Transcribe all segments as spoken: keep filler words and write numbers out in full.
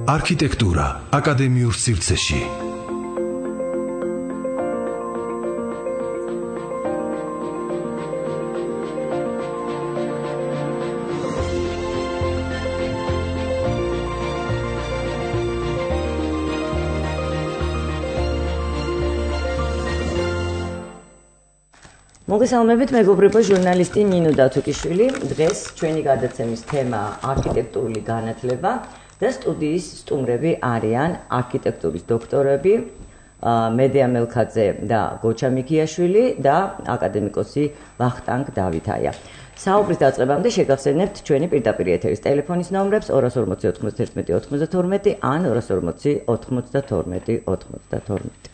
არქიტექტურა აკადემიურ სივრცეში. მოგესალმებით, მეგობრებო, ჟურნალისტი ნინო დათუკიშვილი. დღეს ჩვენი გადაცემის თემა არქიტექტურული განათლება და სტუდიის სტუმრები არიან არქიტექტურის დოქტორები მედია მელქაძე და გოჩა მიქიაშვილი და აკადემიკოსი ვახტანგ დავითაია. საუბრის დაწყებამდე შეგახსენებთ ჩვენი პირდაპირ ეთერის ტელეფონის ნომრებს ორას ორმოცი ოთხმოცდაერთმეტი ოცდათორმეტი ან ორას ორმოცი ოთხმოცდათორმეტი ოცდათორმეტი.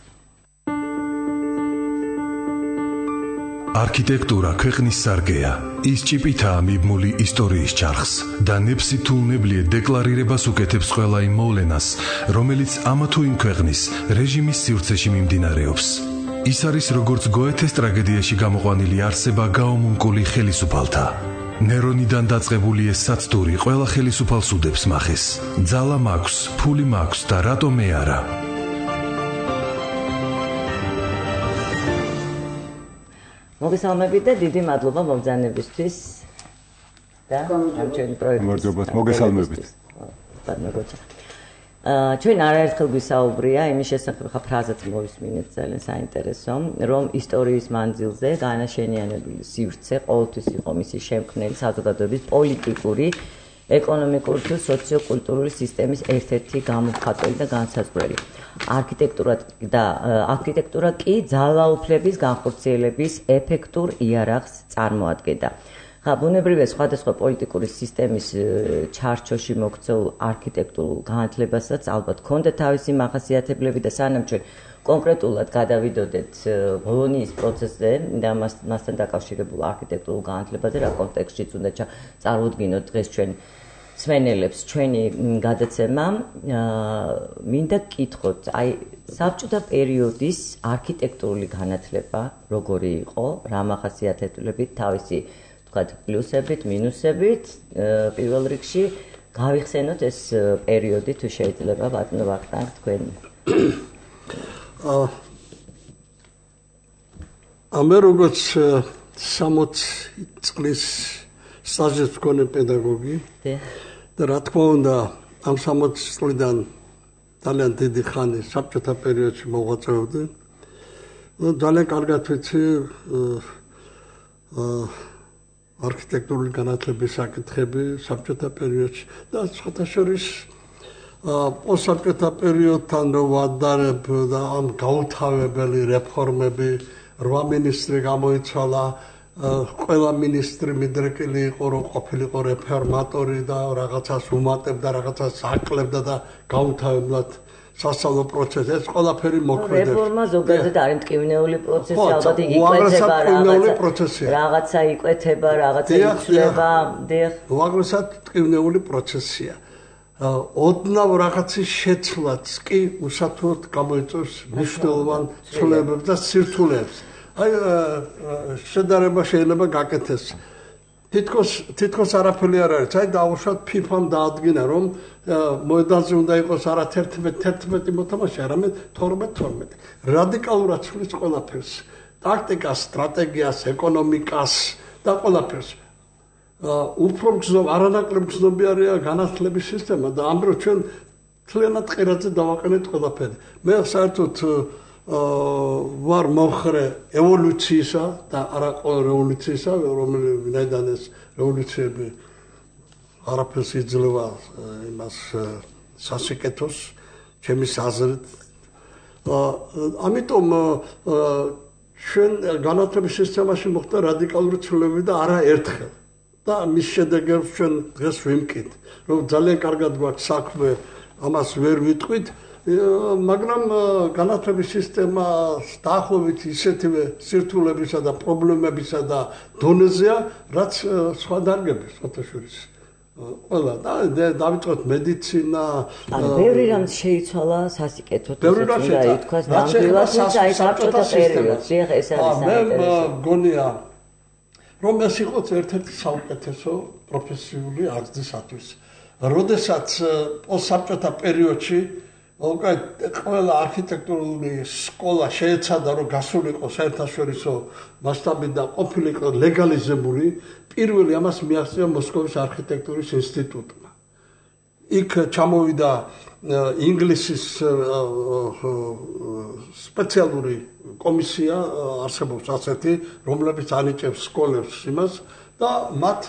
არქიტექტურა ქვეყნის სარგეა, ის ჭიპითაა მიბმული ისტორიის ჩარხს და ნებსი თუ უნებლიე დეკლარირებას უკეთებს ყველა იმ მოვლენას, რომელიც ამა თუ იმ ქვეყნის რეჟიმის სივრცეში მიმდინარეობს. ის არის როგორც გოეთეს ტრაგედიაში გამოყვანილი არსება გაომუნკული ხელისუფალთა. ნერონიდან დაწყებული ეს საცდური ყველა ხელისუფალს უდებს მახეს. ძალა მაქვს, ფული მაქვს და რატომ მე არა? მოგესალმებით და დიდი მადლობა მომბრძანებისთვის და ჩვენი პროექტის მოგესალმებით. ჩვენ არაერთხელ გვისაუბრია იმის შესახებ, ხა ფრაზაც მოვისმინეთ ძალიან საინტერესო, რომ ისტორიის მანძილზე განაშენიანებული სივრცე ყოველთვის იყო მისი შემქმნელი საზოგადოების პოლიტიკური, ეკონომიკური თუ სოციო-კულტურული სისტემის ერთ-ერთი გამომხატველი და განსაზღვრელი. არქიტექტურა და არქიტექტურა კი ძალაუფლების განხორციელების ეფექტურ იარაღს წარმოადგენდა. ხა ბუნებრივია სხვადასხვა პოლიტიკური სისტემის ჩარჩოში მოქცეულ არქიტექტურულ განათლებასაც ალბათ ჰქონდა თავისი მახასიათებლები და სანამ ჩვენ კონკრეტულად გადავიდოდეთ ბოლონიის პროცესზე და მასთან დაკავშირებულ არქიტექტურულ განათლებაზე რა კონტექსტშიც უნდა წარუდგინოთ დღეს ჩვენ სვენელებს ჩვენი გადაცემა, მინდა გკითხოთ, აი საბჭოთა პერიოდის არქიტექტურული განათლება როგორი იყო, რა მახასიათებლებით, თავისი თქვათ პლუსებით, მინუსებით, პირველ რიგში გავიხსენოთ ეს პერიოდი თუ შეიძლება ბატონო ვახტანგ თქვენი. ამე როგორც სამოცი წლის სტაჟის მქონე პედაგოგი და რა თქმა უნდა ამ სამოცი წლიდან ძალიან დიდი ხანი საბჭოთა პერიოდში მოღვაწეობდი. ძალიან კარგად ვიცი არქიტექტურული განათლების საკითხები საბჭოთა პერიოდში და სხვათა შორის პოსტსაბჭოთა პერიოდთან ვადარებ და ამ გაუთავებელი რეფორმები, რვა მინისტრი გამოიცვალა, ყველა მინისტრი მიდრეკილი იყო, რომ ყოფილიყო რეფორმატორი და რაღაცას უმატებდა, რაღაცას აკლებდა და გაუთავებლად სასწავლო პროცესი, ეს ყველაფერი მოქმედებს. რეფორმა ზოგადად არის მტკივნეული პროცესი, ალბათ იგი იკვეთება რაღაცა, რაღაცა იკვეთება, რაღაცა იცვლება, დიახ. უაღრესად მტკივნეული პროცესია. ოდნავ რაღაცის შეცვლაც კი უსათუოდ გამოიწვევს მნიშვნელოვან ცვლილებებს და სირთულეებს. აი შედარება შეიძლება გაკეთდეს. თითქოს თითქოს არაფერი არ არის. აი დაუშვათ ფიფამ დაადგინა რომ მოედანზე უნდა იყოს არა თერთმეტი თერთმეტი მოთამაშე, არამედ თორმეტი თორმეტი. რადიკალურად ცვლის ყველაფერს. ტაქტიკას, სტრატეგიას, ეკონომიკას და ყველაფერს. უფრო გზნობ, არანაკლებ გზნობიარეა განათლების სისტემა და ამ დროს ჩვენ მთლიანად ყირაძე დავაყენეთ ყველაფერი. მე საერთოდ ვარ მომხრე ევოლუციისა და არა ყოველ რევოლუციისა, რომელიდან ეს რევოლუციები არაფერს იძლევა იმას სასიკეთოს, ჩემის აზრით. ამიტომ ჩვენ განათლების სისტემაში მოხდა რადიკალური ცვლილებები და არა ერთხელ. და მის შედეგებს ჩვენ დღეს ვიმკით, რომ ძალიან კარგად გვაქვს საქმე, ამას ვერ ვიტყვით. მაგრამ განათლების სისტემა დაახლოებით ისეთივე სირთულებისა და პრობლემებისა და დონეზეა, რაც სხვა დარგების ფოტოშურის. ყველა და დავიწყოთ მედიცინა. ანუ ბევრი რამ შეიცვალა სასიკეთოდ, უნდა ითქვას, ნამდვილად აი საბჭოთა პერიოდში ეს არის საინტერესო. მე მგონია რომ ეს იყოს ერთ-ერთი საუკეთესო პროფესიული აღზრდისათვის. როდესაც პოსტსაბჭოთა პერიოდში უკვე ყველა არქიტექტურული სკოლა შეეცადა რომ გასულიყო საერთაშორისო მასშტაბით და ყოფილიყო ლეგალიზებული, პირველი ამას მიაღწია მოსკოვის არქიტექტურის ინსტიტუტმა. იქ ჩამოვიდა ინგლისის სპეციალური კომისია, არსებობს ასეთი, რომლებიც ანიჭებს სკოლებს იმას და მათ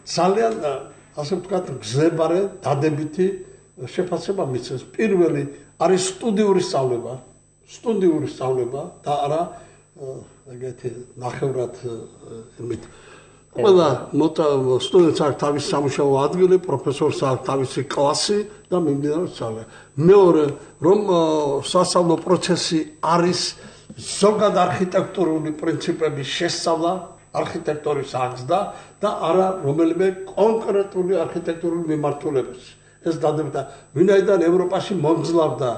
ძალიან ასე ვთქვათ, გზებარე, დადებითი შეფასება მისცეს. პირველი არის სტუდიური სწავლება, სტუდიური სწავლება და არა ეგეთი ნახევრად იმით. ყველა სტუდენტს აქვს თავისი სამუშაო ადგილი, პროფესორს აქვს თავისი კლასი და მიმდინარეობს სწავლა. მეორე, რომ სასწავლო პროცესი არის ზოგად არქიტექტურული პრინციპების შესწავლა, არქიტექტორის აღზრდა და არა რომელიმე კონკრეტული არქიტექტურული მიმართულების. ეს დადებდა, ვინაიდან ევროპაში მომძლავდა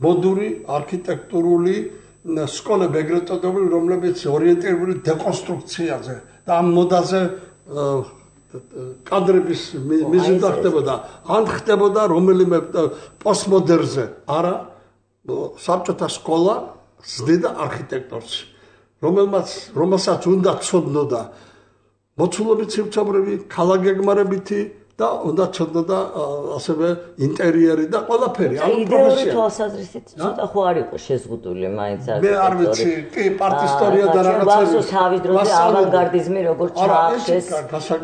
მოდური არქიტექტურული სკოლები, ეგრეთ წოდებული, რომლებიც ორიენტირებული დეკონსტრუქციაზე და ამ მოდაზე კადრების მიზნით ხდებოდა, ან ხდებოდა რომელიმე პოსტმოდერნზე, არა საბჭოთა სკოლა ზრდიდა არქიტექტორს, რომელმაც რომელსაც უნდა ცოდნოდა მოცულობით სივრცებრები, ქალაქგეგმარებითი და უნდა ცოდნოდა ასევე ინტერიერი და ყველაფერი. ამ იდეური თვალსაზრისით ცოტა ხო არ იყო შეზღუდული მაინც არქიტექტორი. მე არ ვიცი, კი პარტისტორია და რაღაცები. თავის დროზე ავანგარდიზმი როგორ ჩაახშეს,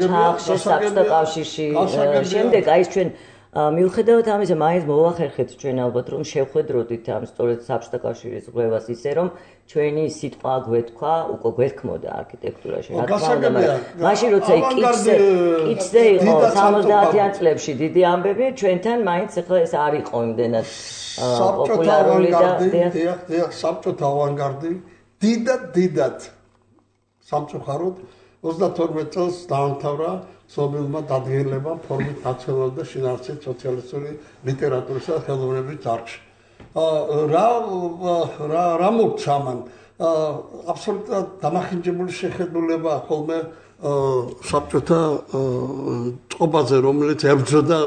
ჩაახშეს საბჭოთა კავშირში. შემდეგ აი ჩვენ მიუხედავად ამისა, მაინც მოვახერხეთ ჩვენ ალბათ რომ შევხედროდით ამ სწორედ საბჭოთა კავშირის ზღვევას ისე რომ ჩვენი სიტყვა გვეთქვა, უკვე გვეთქმოდა არქიტექტურაში. რა თქმა უნდა, მაშინ როცა კიცზე კიცზე იყო სამოცდაათიან წლებში დიდი ამბები, ჩვენთან მაინც ახლა ეს არ იყო იმდენად პოპულარული და დიახ, დიახ, საბჭოთა ავანგარდი დიდად დიდად სამწუხაროდ ოცდათორმეტ წელს დაამთავრა ცნობილმა დადგენილებამ ფორმით ნაციონალური და შინაარსით სოციალისტური ლიტერატურისა და ხელოვნების დარგში. რა რა რა მოხდა მან? აბსოლუტურად დამახინჯებული შეხედულება ხოლმე საბჭოთა წყობაზე, რომელიც ებრძოდა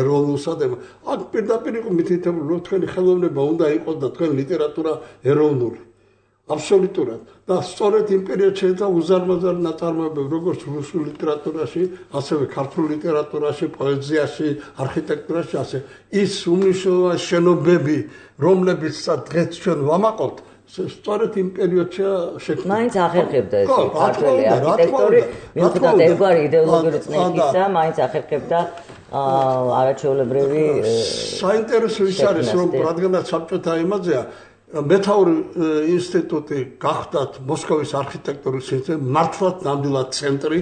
ეროვნულსა და აქ პირდაპირ იყო მითითებული, რომ თქვენი ხელოვნება უნდა იყოს და თქვენი ლიტერატურა ეროვნული. აბსოლუტურად და სწორედ იმ პერიოდში შეეძლო უზარმაზარი ნაწარმოებები როგორც რუსულ ლიტერატურაში, ასევე ქართულ ლიტერატურაში, პოეზიაში, არქიტექტურაში, ასე ის უმნიშვნელოვანესი შენობები, რომლებიც დღეს ჩვენ ვამაყობთ, სწორედ იმ პერიოდში შექმნა. მაინც ახერხებდა ეს ქართული არქიტექტორი, მიუხედავად ერთგვარი იდეოლოგიური წნეხისა, მაინც ახერხებდა არაჩვეულებრივი საინტერესო ის არის, რომ რადგანაც საბჭოთა იმაზეა მეთაური ინსტიტუტი გახდათ მოსკოვის არქიტექტურის ინსტიტუტი, მართლაც ნამდვილად ცენტრი,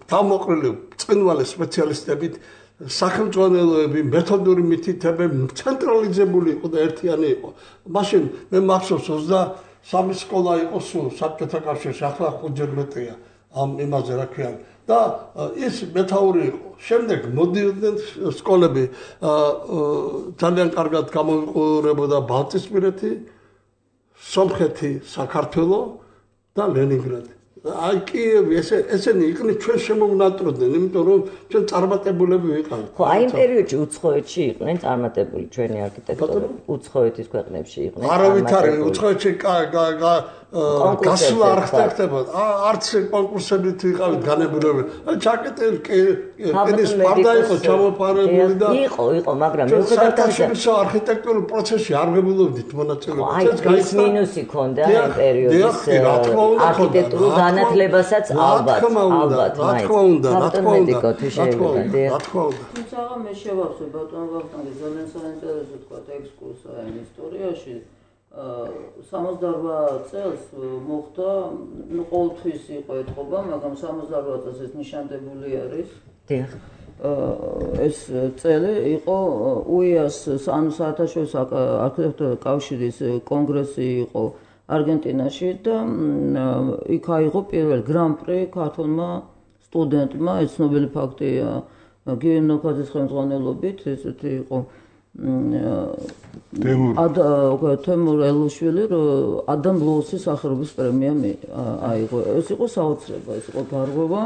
თავმოყრილი ბრწყინვალე სპეციალისტებით, სახელმძღვანელოები, მეთოდური მითითებები, ცენტრალიზებული იყო და ერთიანი იყო. მაშინ მე მახსოვს ოცდასამი სკოლა იყო სულ საბჭოთა კავშირში, ახლა ხუთჯერ მეტია ამ იმაზე რა ქვია. და ის მეთაური იყო. შემდეგ მოდიოდნენ სკოლები, ძალიან კარგად გამოიყურებოდა ბალტიისპირეთი, სომხეთი, საქართველო და ლენინგრადი. აი კიევი ესე ესენი იყვნენ ჩვენ შემოვნატროდნენ, იმიტომ რომ ჩვენ წარმატებულები ვიყავით. ხო, აი იმ პერიოდში უცხოეთში იყვნენ წარმატებული ჩვენი არქიტექტორები, უცხოეთის ქვეყნებში იყვნენ. არავით არის უცხოეთში გასვლა არ ხდებოდა. არც კონკურსებით ვიყავით განებილები. აი ჩაკეტილი კენის პარდა იყო ჩამოპარებული და იყო, იყო, მაგრამ მიუხედავად ამისა არქიტექტურულ პროცესში არ ღებულობდით მონაწილეობას. ეს გაიცნო მინუსი ქონდა იმ პერიოდის არქიტექტურულ განათლებასაც ალბათ, ალბათ, რა თქმა უნდა, რა თქმა უნდა, რა თქმა უნდა. თუმცა მე შევახსოვ ბატონ ვახტანგის ძალიან საინტერესო თქვა ექსკურსია ამ ისტორიაში. სამოცდაორ წელს მოხდა, ნუ ყოველთვის იყო ეთყობა, მაგრამ სამოცდაორ წელს ეს ნიშანდებული არის. დიახ. ეს წელი იყო უიას, ანუ საერთაშორისო არქიტექტურული კავშირის კონგრესი იყო არგენტინაში და იქ აიღო პირველ გრან-პრი ქართულმა სტუდენტმა, ეს ცნობილი ფაქტია გიორგი ნოქაძის ხელმძღვანელობით, ესეთი იყო თემურ ელუშვილი, ადამ ლოუსის სახელობის პრემია აიღო. ეს იყო საოცრება, ეს იყო გარღვევა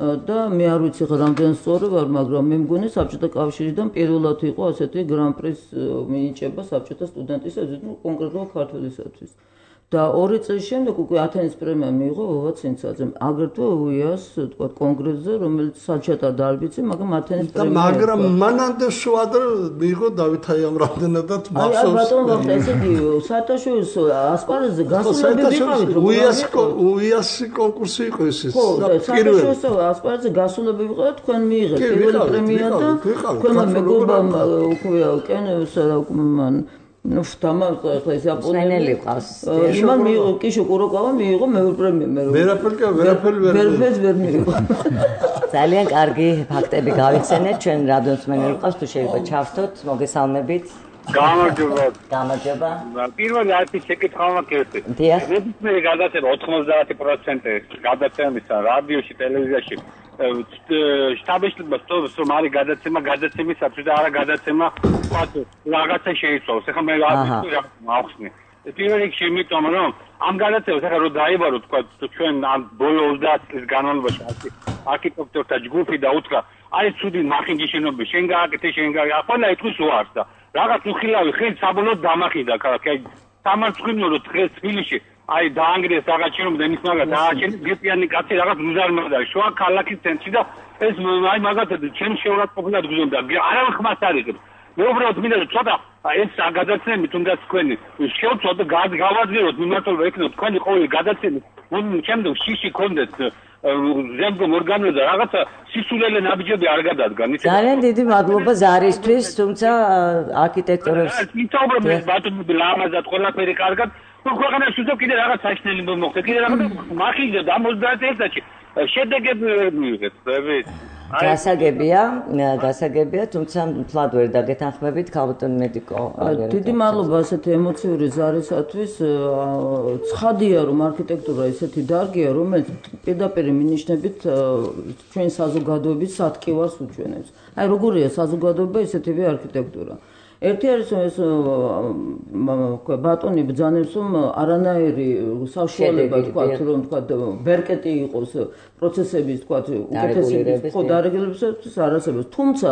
და მე არ ვიცი ხა რამდენ სწორი ვარ, მაგრამ მე მგონი საბჭოთა კავშირიდან პირველად იყო ასეთი გრან-პრის მინიჭება საბჭოთა სტუდენტისათვის, ну კონკრეტულად ქართველისათვის. და ორი წლის შემდეგ უკვე ათენის პრემია მიიღო ვოვა ცინცაძემ. აგრეთვე უიას, თქვა, კონგრესზე, რომელიც საჩატა დარბიცი, მაგრამ ათენის პრემია. მაგრამ მანამდე შუადრე მიიღო დავითაი ამ რამდენადაც მახსოვს. აი, ბატონო, ვახტა, ესე იგი, საათაშორის ასპარეზზე გასულები ვიყავით, როგორ უიას უიასი კონკურსი იყო ეს ის. ხო, საათაშორის ასპარეზზე გასულები ვიყავით, თქვენ მიიღეთ პირველი პრემია და თქვენმა მეგობამ უკვე კენევსა და მან ну втама ახლა ეს იაპონელი ყავს. იმან მიიღო კიშო კუროკავა მიიღო მეორე პრემია მე. ვერაფერი ვერაფერი ვერაფერს ვერ მიიღო. ძალიან კარგი ფაქტები გავიცენეთ ჩვენ რადიოსმენელი ყავს თუ შეიძლება ჩავსდოთ მოგესალმებით. გამარჯობა. გამარჯობა. პირველი არც შეკითხვა მაქვს. დიახ. მე გადაცემა ოთხმოცდაათი პროცენტი გადაცემისა რადიოში, ტელევიზიაში შტაბეშტაბს თორს რომ არის გადაცემა გადაცემისათვის და არა გადაცემა ვთქვათ რაღაცა შეიცვალოს. ეხლა მე არ ვიცი რა მახსნე. პირველ რიგში იმიტომ რომ ამ გადაცემას ეხლა რომ დაიბარო ვთქვათ ჩვენ ამ ბოლო ოცდაათი წლის განმავლობაში არქიტექტორთა ჯგუფი და უთხრა აი ცუდი მახინჯი შენობა შენ გააკეთე შენ გააკეთე ყველა ეთქვის უარს და რაღაც უხილავი ხელი საბოლოოდ დამახინდა ქალაქი სამარცხინო დღეს თბილისში აი დაანგრიეს რაღაც შენობა და იმის მაგათ ააჩენეს გეპიანი კაცი რაღაც მუზარმადა შუა ქალაქის ცენტრში და ეს აი მაგათად ჩემ შეურაცხყოფილად გზონდა არავინ ხმას არ იღებს მე უბრალოდ მინდა ცოტა ეს გადაცემი თუნდაც თქვენი შევწოთ და გავაძლიეროთ მიმართულება ეკნოთ თქვენი ყოველი გადაცემი ჩემს შიში კონდეთ ზემგომ ორგანოზე და რაღაცა სისულელე ნაბიჯები არ გადადგან. ძალიან დიდი მადლობა ზარისთვის, თუმცა არქიტექტორებს ვისაუბრებ მე ბატონები ლამაზად ყველაფერი კარგად. ნუ ქვეყანაში უშო კიდე რაღაც საშნელი მოხდა. კიდე რაღაც მახინჯა და ოცდაათი წელიწადში შედეგები მიიღეთ, ხდებით? გასაგებია, გასაგებია, თუმცა თლად ვერ დაგეთანხმებით ქალბატონ მედიკო. დიდი მადლობა ასეთი ემოციური ზარისათვის. ცხადია, რომ არქიტექტურა ესეთი დარგია, რომელიც პირდაპირ მინიშნებით ჩვენ საზოგადოების სათქივარს უჩვენებს. აი როგორია საზოგადოება, ესეთივე არქიტექტურა. ერთი არის ეს ბატონი ბრძანებს რომ არანაირი საშუალება თქვა რომ თქვა ბერკეტი იყოს პროცესების თქვა უკეთესების ხო დარეგლებისთვის არ არსებობს თუმცა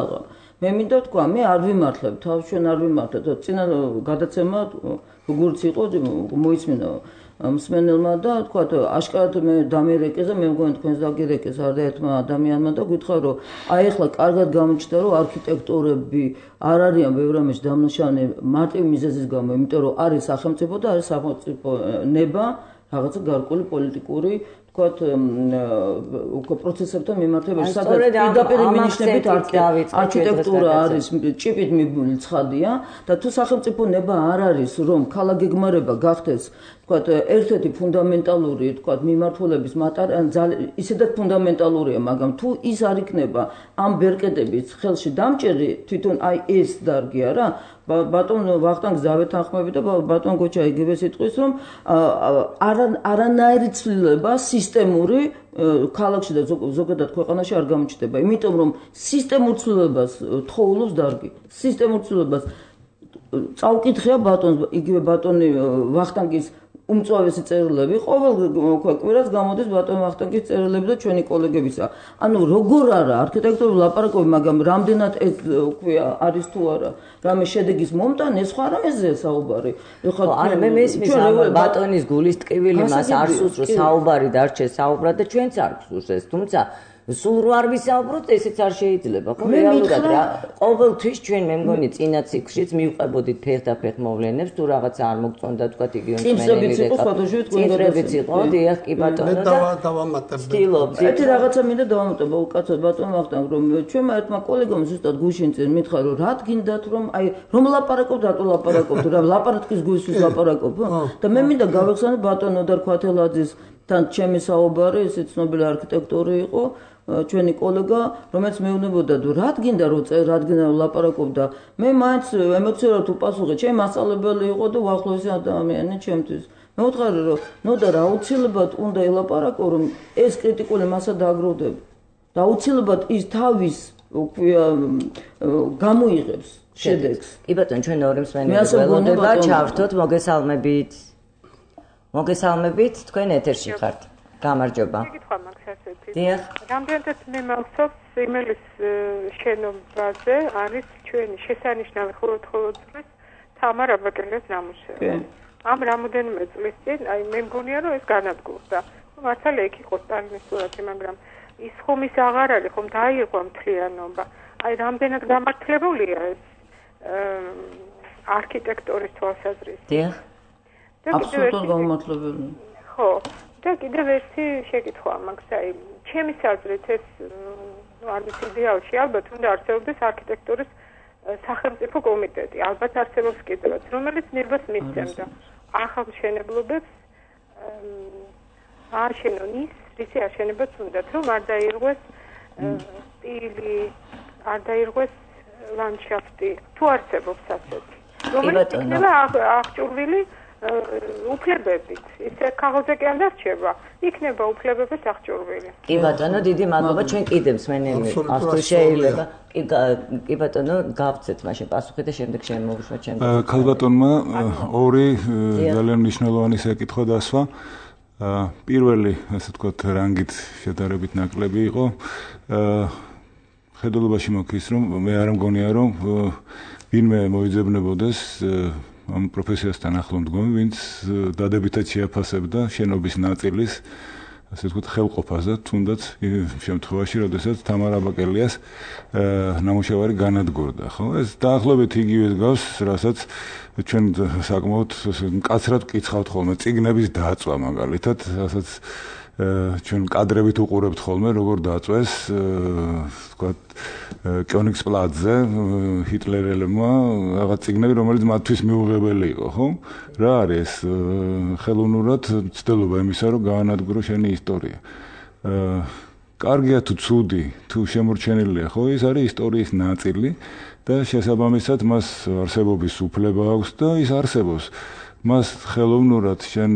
მე მინდა თქვა მე არ ვიმართლებ თავს ჩვენ არ ვიმართლებ წინა გადაცემა როგორც იყო მოისმინა მსმენელმა და თქვა აშკარად მე დამერეკეს და მე მგონი თქვენს დაგირეკეს არაერთმა ადამიანმა და გითხრა რომ აი ახლა კარგად გამოჩნდა რომ არქიტექტორები არ არიან ბევრ რამეში დამნაშავე მარტივ მიზეზის გამო იმიტომ რომ არის სახელმწიფო და არის სახელმწიფო ნება რაღაცა გარკვეული პოლიტიკური თქვათ უკვე პროცესებთან მიმართებაში სადაც პირდაპირ მინიშნებით არქიტექტურა არის ჭიპით მიბმული ცხადია და თუ სახელმწიფო ნება არ არის რომ ქალაქგეგმარება გახდეს თქვათ ერთ-ერთი ფუნდამენტალური თქვათ მიმართულების ისედაც ფუნდამენტალურია მაგრამ თუ ის არ იქნება ამ ბერკეტების ხელში დამჭერი თვითონ აი ეს დარგი არა ბატონ ვახტანგს დავეთანხმები და ბატონ გოჩა იგივე სიტყვის რომ არანაირი ცვლილება სისტემური ქალაქში და ზოგადად ქვეყანაში არ გამოჩნდება იმიტომ რომ სისტემურ ცვლილებას თხოვლობს დარგი სისტემურ ცვლილებას წავკითხია ბატონს იგივე ბატონი ვახტანგის უმწვავესი წერილები ყოველ კვირას გამოდის ბატონ ვახტანგის წერილები და ჩვენი კოლეგებისა. ანუ როგორ არა არქიტექტორული ლაპარაკობი, მაგრამ რამდენად ეს ქვია არის თუ არა, რამე შედეგის მომტანე სხვა რამეზეა საუბარი. ხო, არა მე მესმის ბატონის გულის ტკივილი მას არ სურს რომ საუბარი დარჩეს საუბრად და ჩვენც არ გსურს ეს, თუმცა სულ რო არ ვისაუბროთ, ესეც არ შეიძლება, ხო? რეალურად რა. ყოველთვის ჩვენ მე მგონი წინა ციკლშიც მივყვებოდით ფეხ-და-ფეხ მოვლენებს, თუ რაღაცა არ მოგწონდა, თქვა იგივე წინსებიც იყო, სხვადასხვა წინსებიც იყო, დიახ, კი ბატონო და დავამატებდი. ერთი რაღაცა მინდა დავამატებო, უკაცოდ ბატონ ვახტანგ, რომ ჩვენმა ერთმა კოლეგამ ზუსტად გუშინ წინ მითხრა, რომ რა გინდათ, რომ აი რომ ლაპარაკობთ, რატო ლაპარაკობთ, რა ლაპარაკის გულისთვის ლაპარაკობ? და მე მინდა გავეხსენებ ბატონ ოდარ ქვათელაძის თან ჩემი საუბარი, ეს ცნობილი არქიტექტორი იყო. ჩვენი კოლეგა, რომელიც მეუბნებოდა, რა გინდა რომ რა გინდა ლაპარაკობდა. მე მაინც ემოციურად უპასუხე, ჩემი მასწავლებელი იყო და უახლოესი ადამიანი ჩემთვის. მე ვუთხარი რომ ნუ და რა აუცილებლად უნდა ელაპარაკო, რომ ეს კრიტიკული მასა დააგროვდება. და აუცილებლად ის თავის უკვე გამოიღებს შედეგს. კი ბატონო, ჩვენ ორი მსმენელი ველოდება, ჩავრთოთ, მოგესალმებით. მოგესალმებით, თქვენ ეთერში ხართ. გამარჯობა. შეკითხვა მაქვს ასეთი. დიახ. რამდენადაც მე მახსოვს იმელის შენობაზე არის ჩვენი შესანიშნავი ხოლმე წლის თამარ აბაკელიას ნამუშევარი. ამ რამოდენიმე წლის წინ აი მე მგონია რომ ეს განადგურდა. მართალია იქ იყო სტალინის სურათი, მაგრამ ის ხომ ის აღარ არის, ხომ დაიღო მთლიანობა. აი რამდენად გამართლებულია ეს არქიტექტურის თვალსაზრისით. დიახ. აბსოლუტურად გამართლებული. ხო, და კიდევ ერთი შეკითხვა მაქვს, აი ჩემი საზრით ეს არ ვიცი იდეალში ალბათ უნდა არსებობდეს არქიტექტურის სახელმწიფო კომიტეტი, ალბათ არსებობს კიდევაც, რომელიც ნებას მისცემდა ახალმშენებლობებს ააშენონ ის, რისი აშენებაც უნდათ, რომ არ დაირღვეს სტილი, არ დაირღვეს ლანდშაფტი, თუ არსებობს ასეთი. რომელიც იქნება აღჭურვილი უფლებებით. ისე ქაღალდზე კი არ დარჩება, იქნება უფლებების აღჭურვილი. კი ბატონო, დიდი მადლობა, ჩვენ კიდევ მსმენელი აქვს თუ შეიძლება. კი ბატონო, გავცეთ მაშინ პასუხი და შემდეგ შემოვუშვათ ჩემს. ქალბატონმა ორი ძალიან მნიშვნელოვანი საკითხვა დასვა. პირველი, ასე ვთქვათ, რანგით შედარებით ნაკლები იყო. ხედულობაში მოქის, რომ მე არ მგონია, რომ ვინმე მოიძებნებოდეს ამ პროფესიასთან ახლო მდგომი, ვინც დადებითად შეაფასებდა შენობის ნაწილის, ასე ვთქვათ, ხელყოფას და თუნდაც შემთხვევაში, როდესაც თამარ აბაკელიას ნამუშევარი განადგურდა, ხო? ეს დაახლოებით იგივე გავს, რასაც ჩვენ საკმაოდ მკაცრად ვკითხავთ ხოლმე წიგნების დაწვა მაგალითად, რასაც ჩვენ კადრებით უყურებთ ხოლმე, როგორ დაწვეს, ვთქვათ, კიონიგსპლატზე ჰიტლერელებმა რაღაც წიგნები, რომელიც მათთვის მიუღებელი იყო, ხო? რა არის ხელოვნურად ცდელობა იმისა, რომ გაანადგურო შენი ისტორია. კარგია თუ ცუდი, თუ შემორჩენილია, ხო? ეს არის ისტორიის ნაწილი და შესაბამისად მას არსებობის უფლება აქვს და ის არსებობს. მას ხელოვნურად შენ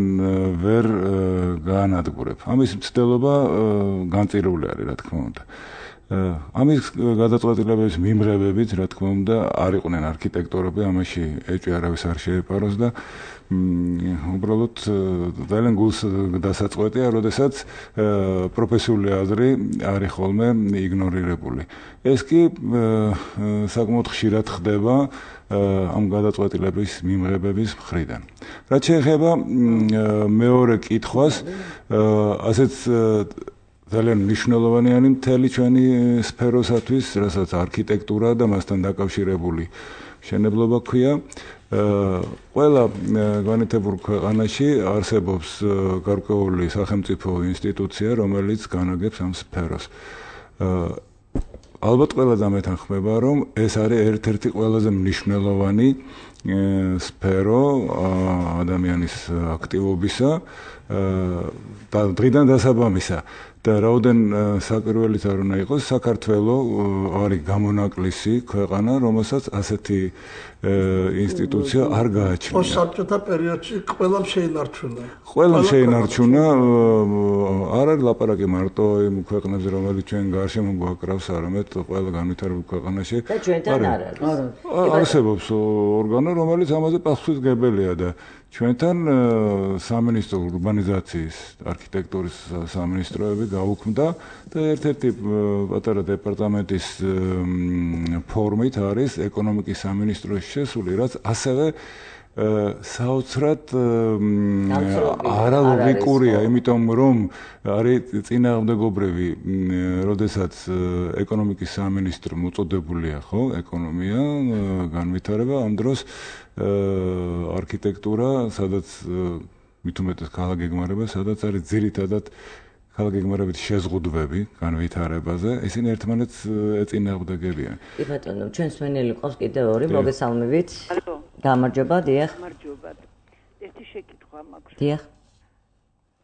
ვერ გაანადგურებ. ამის მცდელობა განწირული არის, რა თქმა უნდა. ამის გადაწყვეტილების მიმღებებით, რა თქმა უნდა, არ იყვნენ არქიტექტორები, ამაში ეჭვი არავის არ შეეპაროს და უბრალოდ ძალიან გულს დასაწყვეტია, როდესაც პროფესიული აზრი არის ხოლმე იგნორირებული. ეს კი საკმაოდ ხშირად ხდება ამ გადაწყვეტილების მიმღებების მხრიდან. რაც შეეხება მეორე კითხვას, ასეც ძალიან მნიშვნელოვანი არის მთელი ჩვენი სფეროსათვის, რასაც არქიტექტურა და მასთან დაკავშირებული მშენებლობა ქვია. ყველა განვითარებულ ქვეყანაში არსებობს გარკვეული სახელმწიფო ინსტიტუცია, რომელიც განაგებს ამ სფეროს. ალბათ ყველა დამეთანხმება, რომ ეს არის ერთ-ერთი ყველაზე მნიშვნელოვანი სფერო ადამიანის აქტივობისა და დღიდან დასაბამისა. და რაოდენ საკურველით არ უნდა იყოს, საქართველო არის გამონაკლისი ქვეყანა, რომელსაც ასეთი ინსტიტუცია არ გააჩნია. პოსტსაბჭოთა პერიოდში ყველამ შეინარჩუნა. ყველამ შეინარჩუნა, არ არის ლაპარაკი მარტო იმ ქვეყნებზე, რომელიც ჩვენ გარშემო გვაკრავს, არამედ ყველა განვითარებულ ქვეყანაში. და ჩვენთან არ არის. არსებობს ორგანო, რომელიც ამაზე პასუხისმგებელია და ჩვენთან სამინისტრო ურბანიზაციის არქიტექტურის სამინისტროები გაუქმდა და ერთ-ერთი პატარა დეპარტამენტის ფორმით არის ეკონომიკის სამინისტროში შესული, რაც ასევე საოცრად არალოგიკურია, იმიტომ რომ არის წინააღმდეგობრივი, როდესაც ეკონომიკის სამინისტრო მოწოდებულია, ხო, ეკონომია, განვითარება, ამ დროს არქიტექტურა, სადაც მით უმეტეს ქალაქგეგმარება, სადაც არის ძირითადად ქალაქგეგმარებით შეზღუდვები განვითარებაზე, ისინი ერთმანეთს ეწინააღმდეგებიან. კი ბატონო, ჩვენს მენელი ყავს კიდევ ორი, მოგესალმებით. ალო. გამარჯობა, დიახ. გამარჯობა. ერთი შეკითხვა მაქვს. დიახ.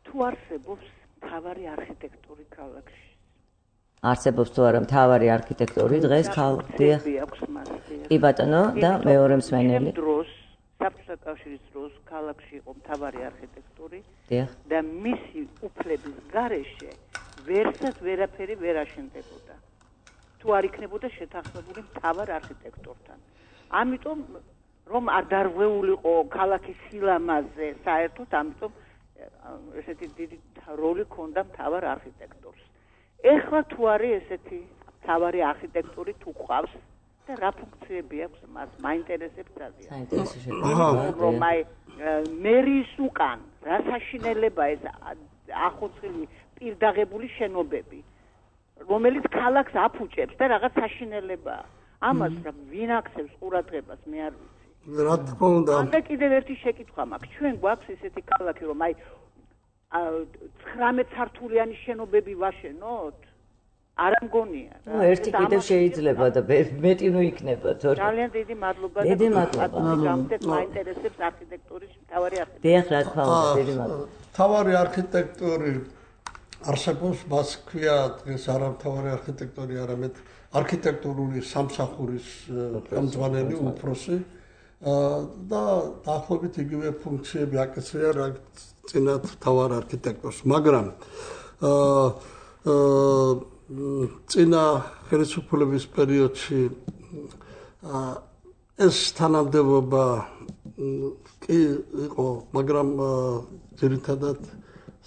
თუ არსებობს მთავარი არქიტექტური ქალაქში? არსებობს თუ არა მთავარი არქიტექტორი დღეს ქალაქში? დიახ. კი ბატონო, და მეორე მსმენელი. დროს საბჭოთა კავშირის დროს ქალაქში იყო მთავარი არქიტექტორი და მისი უფლების გარეშე ვერცად ვერაფერი ვერ აშენდებოდა. თუ არ იქნებოდა შეთანხმებული მთავარ არქიტექტორთან. ამიტომ რომ არ დარღვეულიყო ქალაქის სილამაზე, საერთოდ ამიტომ ესეთი დიდი როლი ჰქონდა მთავარ არქიტექტორს. ეხლა თუ არის ესეთი მთავარი არქიტექტორი თუ ყავს და რა ფუნქციები აქვს მას მაინტერესებს ძალიან. საინტერესო რომ აი მერის უკან რა საშინელება ეს ახოცხილი პირდაღებული შენობები რომელიც ქალაქს აფუჭებს და რაღაც საშინელებაა. ამას რა ვინ აქცევს ყურადღებას მე არ ვიცი. რა თქმა უნდა. და კიდევ ერთი შეკითხვა მაქვს. ჩვენ გვაქვს ესეთი ქალაქი რომ აი ცხრამეტ სართულიანი შენობები ვაშენოთ? არ მგონია. ნუ ერთი კიდევ შეიძლება და მეტი ნუ იქნება თორე. ძალიან დიდი მადლობა დიდი მადლობა. გამწევს მაინტერესებს არქიტექტურის მთავარი არქიტექტორი. დიახ, რა თქმა უნდა, დიდი მადლობა. მთავარი არქიტექტორი არსებობს, მას ქვია დღეს არა მთავარი არქიტექტორი, არამედ არქიტექტურული სამსახურის ხელმძღვანელი უფროსი და დაახლოებით იგივე ფუნქციები აკისრია რა წინათ მთავარ არქიტექტორს, მაგრამ წინა ხელისუფლების პერიოდში ეს თანამდებობა კი იყო, მაგრამ ძირითადად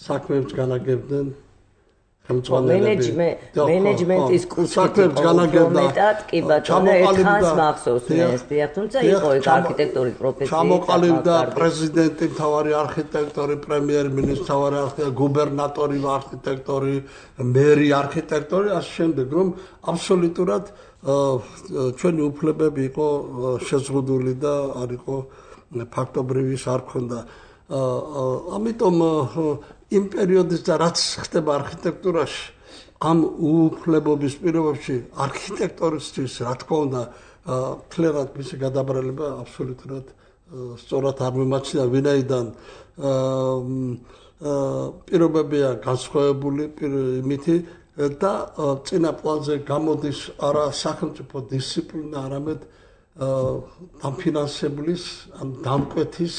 საქმეებს განაგებდნენ მენეჯმენტ მენეჯმენტის კუთხით მეტად კი ბატონო ერთხანს მახსოვს მე ეს დიახ თუმცა იყო ეგ არქიტექტურის პროფესია ჩამოყალიბდა პრეზიდენტი მთავარი არქიტექტორი პრემიერ-მინისტრი მთავარი არქიტექტორი გუბერნატორი არქიტექტორი მერი არქიტექტორი ასე შემდეგ რომ აბსოლუტურად ჩვენი უფლებები იყო შეზღუდული და არ იყო ფაქტობრივი არ ქონდა ამიტომ იმ პერიოდის და რაც ხდება არქიტექტურაში ამ უფლებობის პირობებში არქიტექტორისთვის რა თქმა უნდა მთლიანად მისი გადაბრალება აბსოლუტურად სწორად არ მიმაჩნია ვინაიდან პირობებია განსხვავებული იმითი და წინა პლანზე გამოდის არა სახელმწიფო დისციპლინა არამედ დამფინანსებლის ან დამკვეთის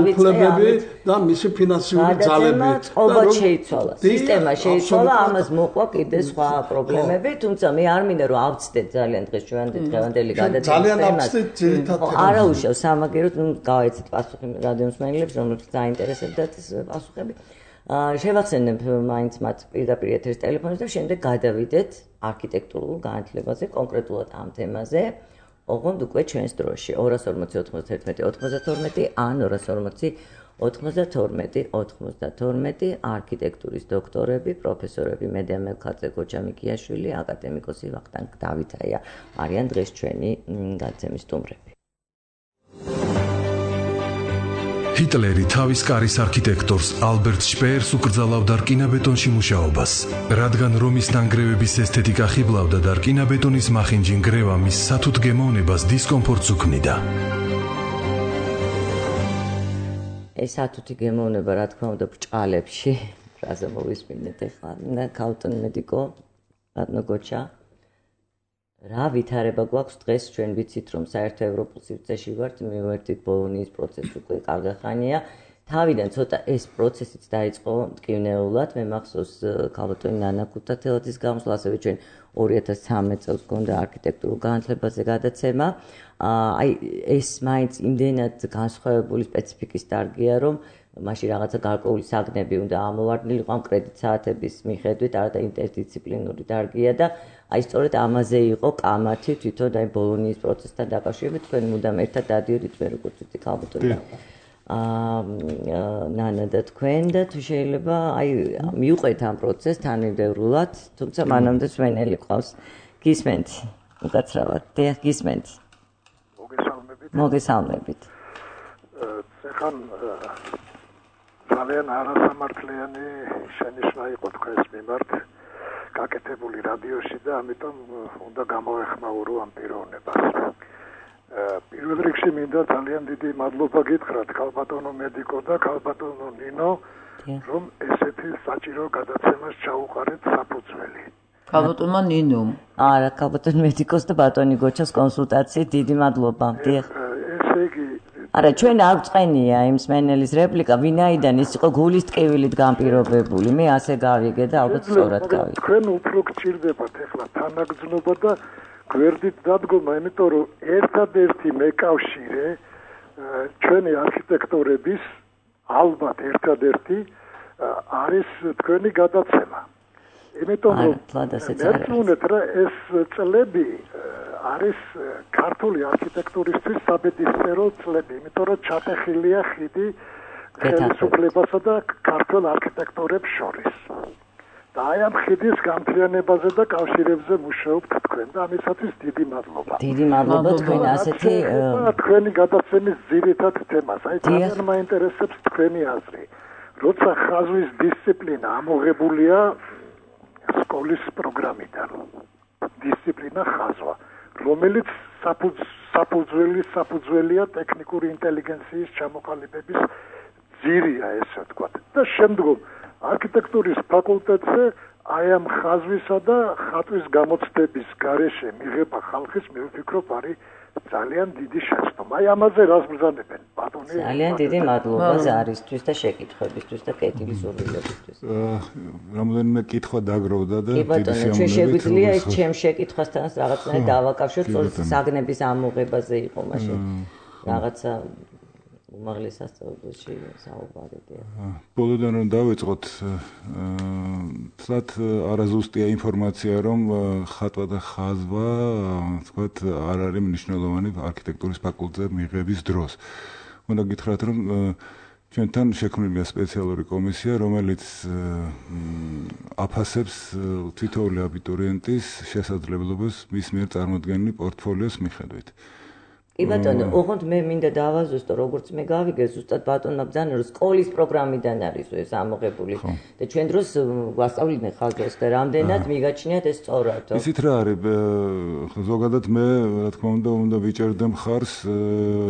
უფლებები და მისი ფინანსიური ძალები წყობა შეიცვალა სისტემა შეიცვალა ამას მოყვა კიდე სხვა პრობლემები თუმცა მე არ მინდა რომ ავწდეთ ძალიან დღეს ჩვენამდელი გადაცემა ძალიან ავწდეთ ძირითადად არა უშავს სამაგეროთ ნუ გავაიცეთ პასუხი რადიოსმენელებს რომლებსაც დაინტერესებდათ ეს პასუხები შევახსენებ მაინც მათ პირდაპირ ეთერის ტელეფონს და შემდეგ გადავიდეთ არქიტექტურულ განათლებაზე კონკრეტულად ამ თემაზე ოღონდ უკვე ჩვენს დროში ორას ორმოცი ოცდაერთმეტი ოცდათორმეტი ან ორას ორმოცი ოცდათორმეტი ოცდათორმეტი არქიტექტურის დოქტორები, პროფესორები მედია მელქაძე, გოჯა მიქიაშვილი, აკადემიკოსი ვახტანგ დავითაია არიან დღეს ჩვენი გადაცემის სტუმრები. ჰიტლერი თავის კარის არქიტექტორს ალბერტ შპეერს უკრძალავდა რკინაბეტონში მუშაობას, რადგან რომის ნანგრევების ესთეტიკა ხიბლავდა და რკინაბეტონის მახინჯი ნგრევა მის სათუთ გემოვნებას დისკომფორტს უქმნიდა. ეს სათუთი გემოვნება რა თქმა უნდა ბრჭყალებში, რაზე მოვისმინეთ ახლა, ქალტონ მედიკო, ბატონო გოჩა. რა ვითარება გვაქვს დღეს ჩვენ ვიცით რომ საერთო ევროპულ სივრცეში ვართ მივერთით ბოლონიის პროცესი უკვე კარგი ხანია თავიდან ცოტა ეს პროცესიც დაიწყო მტკივნეულად მე მახსოვს ქალბატონი ნანა ქუთათელაძის გამოსვლა ასევე ჩვენ ორი ათას ცხრამეტ წელს გქონდა არქიტექტურულ განათლებაზე გადაცემა აი ეს მაინც იმდენად განსხვავებული სპეციფიკის დარგია რომ მაშინ რაღაცა გარკვეული საგნები უნდა ამოვარდნილიყო ამ კრედიტ საათების მიხედვით არა და ინტერდისციპლინური დარგია და აი სწორედ ამაზე იყო კამათი თვითონ აი ბოლონიის პროცესთან დაკავშირებით თქვენ მუდამ ერთად დადიოდით მე როგორც ვიცი ქალბატონი აა ნანა და თქვენ და თუ შეიძლება აი მიუყვეთ ამ პროცესს თანმიმდევრულად თუმცა მანამდე სვენელი ყავს გისმენთ უკაცრავად დიახ გისმენთ მოგესალმებით მოგესალმებით ხან ძალიან არასამართლიანი შენიშვნა იყო თქვენს მიმართ გაკეთებული რადიოში და ამიტომ უნდა გამოვეხმაურო ამ პიროვნებას. პირველ რიგში მინდა ძალიან დიდი მადლობა გითხრათ ქალბატონო მედიკო და ქალბატონო ნინო რომ ესეთი საჭირო გადაცემას ჩაუყარეთ საფუძველი. ქალბატონმა ნინო. არა ქალბატონ მედიკოს და ბატონი გოჩას კონსულტაციით დიდი მადლობა. დიახ. ესე იგი არა ჩვენ არ წენია იმ სმენელის რეპლიკა ვინაიდან ის იყო გულის ტკივილით განპირობებული მე ასე გავიგე და ალბათ სწორად გავიგე თქვენ უფრო გჭირდებათ ახლა თანაგრძნობა და გვერდით დადგომა იმიტომ რომ ერთადერთი მეკავშირე ჩვენი არქიტექტორების ალბათ ერთადერთი არის თქვენი გადაცემა. იმიტომ რომ მერწმუნეთ რა ეს წლები არის ქართული არქიტექტურისთვის საბედისწერო წლები, იმიტომ რომ ჩატეხილია ხიდი ხელისუფლებასა და ქართულ არქიტექტორებს შორის. და აი ამ ხიდის გამთლიანებაზე და კავშირებზე მუშაობთ თქვენ და ამისათვის დიდი მადლობა. დიდი მადლობა თქვენ ასეთი თქვენი გადაცემის ძირითად თემას. აი ძალიან მაინტერესებს თქვენი აზრი. როცა ხაზვის დისციპლინა ამოღებულია სკოლის პროგრამიდან. დისციპლინა ხაზვა, რომელიც საფუძველი საფუძველია ტექნიკური ინტელიგენციის ჩამოყალიბების ძირია, ესე ვთქვათ. და შემდგომ არქიტექტურის ფაკულტეტზე აი ამ ხაზვისა და ხატვის გამოცდების გარეშე მიღება ხალხის, მე ვფიქრობ, არის ძალიან დიდი შეცდომა. აი ამაზე რას ბრძანებენ, ბატონი? ძალიან დიდი მადლობა ზარისთვის და შეკითხვებისთვის და კეთილი სურვილებისთვის. რამოდენიმე კითხვა დაგროვდა და დიდი შემოგვიყვება. ჩვენ შეგვიძლია ეს ჩემ შეკითხვასთან რაღაცნაირად დავაკავშიროთ, სწორედ საგნების ამოღებაზე იყო მაშინ რაღაცა უმაღლეს სასწავლებელში საუბარია. ბოლოდან რომ დავიწყოთ, თლათ არაზუსტია ინფორმაცია, რომ ხატვა და ხაზვა, თქვათ, არ არის მნიშვნელოვანი არქიტექტურის ფაკულტეტზე მიღების დროს. უნდა გითხრათ, რომ ჩვენთან შექმნილია სპეციალური კომისია, რომელიც აფასებს თითოეული აბიტურიენტის შესაძლებლობას მის მიერ წარმოდგენილი პორტფოლიოს მიხედვით. კი ბატონო, ოღონდ მე მინდა დავაზუსტო, როგორც მე გავიგე, ზუსტად ბატონმა ბრძანა, რომ სკოლის პროგრამიდან არის ეს ამოღებული და ჩვენ დროს ვასწავლიდნენ ხაზვას და რამდენად მიგაჩნიათ ეს სწორად. ისიც რა არის, ზოგადად მე, რა თქმა უნდა, უნდა ვიჭერდე მხარს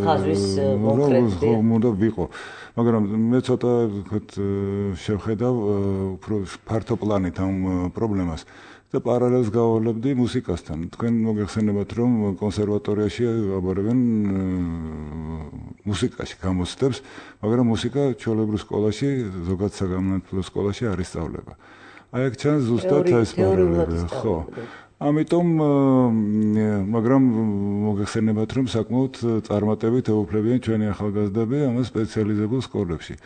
ხაზვის კონკრეტული. უნდა ვიყო. მაგრამ მე ცოტა ვთქვათ შევხედავ უფრო ფართო პლანით ამ პრობლემას. და პარალელს გავავლებდი მუსიკასთან. თქვენ მოგეხსენებათ, რომ კონსერვატორიაში აბარებენ მუსიკაში გამოცდებს, მაგრამ მუსიკა ჩვეულებრივ სკოლაში, ზოგადად საგანმანათლებლო სკოლაში არ ისწავლება. აი აქ ჩანს ზუსტად ეს პრობლემა, ხო. ამიტომ, მაგრამ მოგეხსენებათ, რომ საკმაოდ წარმატებით ეუფლებიან ჩვენი ახალგაზრდები ამ სპეციალიზებულ სკოლებში.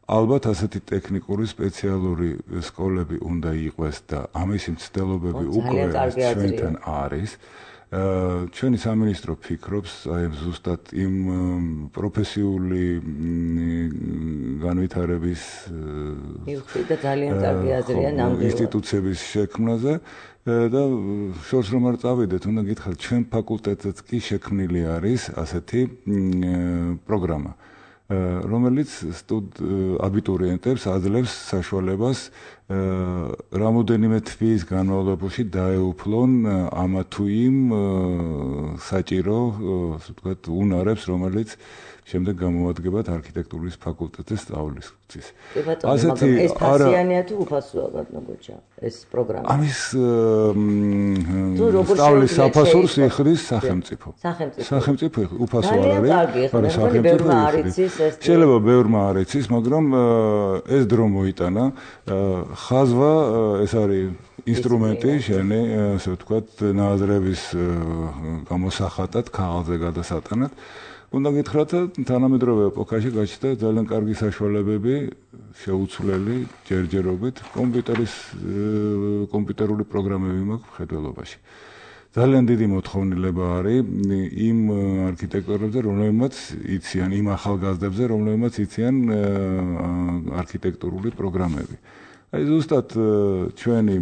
ალბათ ასეთი ტექნიკური სპეციალური სკოლები უნდა იყოს და ამისი მცდელობები უკვე ჩვენთან არის. ჩვენი სამინისტრო ფიქრობს აი ზუსტად იმ პროფესიული განვითარების და ძალიან კარგი აზრია ნამდვილად ინსტიტუციების შექმნაზე და შორს რომ არ წავიდეთ, უნდა გითხრათ, ჩვენ ფაკულტეტზეც კი შექმნილი არის ასეთი პროგრამა. რომელიც აბიტურიენტებს აძლევს საშუალებას რამოდენიმე თვის განმავლობაში დაეუფლონ ამა თუ იმ საჭირო, ასე ვთქვათ, უნარებს, რომელიც შემდეგ გამოადგებათ არქიტექტურის ფაკულტეტზე სწავლისათვის. ასეთი ეს ფასიანია თუ უფასოა, ბატონო გოჩა, ეს პროგრამა? ამის სწავლის საფასურს იხდის სახელმწიფო. სახელმწიფო. სახელმწიფო უფასო არ არის. არის სახელმწიფო. შეიძლება ბევრმა არ იცის, მაგრამ ეს დრო მოიტანა. ხაზვა ეს არის ინსტრუმენტი შენი, ასე ვთქვათ, ნააზრების გამოსახატად, ქაღალდზე გადასატანად. უნდა გითხრათ, თანამედროვე ეპოქაში გაჩნდა ძალიან კარგი საშუალებები შეუცვლელი ჯერჯერობით კომპიუტერის კომპიუტერული პროგრამები მაქვს მხედველობაში. ძალიან დიდი მოთხოვნილება არის იმ არქიტექტორებზე, რომლებიც იციან, იმ ახალგაზრდებზე, რომლებიც იციან არქიტექტურული პროგრამები. აი ზუსტად ჩვენი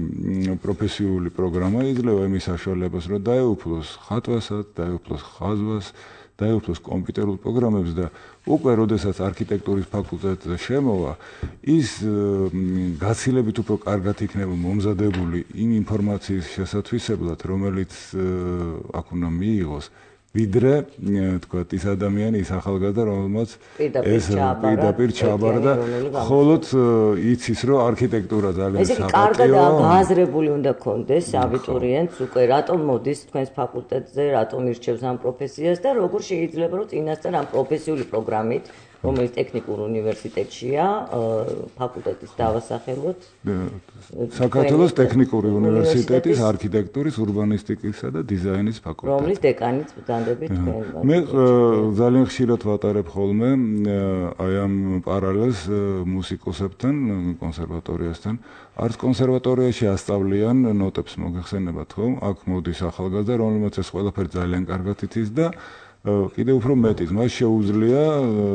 პროფესიული პროგრამა იძლევა იმის საშუალებას, რომ დაეუფლოს ხატვასაც, დაეუფლოს ხაზვას, დაეუფლოს კომპიუტერულ პროგრამებს და უკვე როდესაც არქიტექტურის ფაკულტეტზე შემოვა, ის გაცილებით უფრო კარგად იქნება მომზადებული იმ ინფორმაციის შესათვისებლად, რომელიც აქ უნდა მიიღოს, ვიდრე, თქვათ, ის ადამიანი, ის ახალგაზრდა, რომელმაც ეს პირდაპირ ჩააბარა, ხოლოდ იცის, რომ არქიტექტურა ძალიან საპატიო. ეს კარგად გააზრებული უნდა გქონდეს აბიტურიენტს უკვე რატომ მოდის თქვენს ფაკულტეტზე, რატომ ირჩევს ამ პროფესიას და როგორ შეიძლება რომ წინასწარ ამ პროფესიული პროგრამით რომელიც ტექნიკურ უნივერსიტეტშია, ფაკულტეტის დავასახელოთ. საქართველოს ტექნიკური უნივერსიტეტის არქიტექტურის, ურბანისტიკისა და დიზაინის ფაკულტეტი. რომლის დეკანიც ბრძანდებით თქვენ. მე ძალიან ხშირად ვატარებ ხოლმე აი ამ პარალელს მუსიკოსებთან, კონსერვატორიასთან. არც კონსერვატორიაში ასწავლიან ნოტებს მოგეხსენებათ ხო? აქ მოდის ახალგაზრდა, რომელმაც ეს ყველაფერი ძალიან კარგად იცის და კიდევ უფრო მეტიც, მას შეუძლია,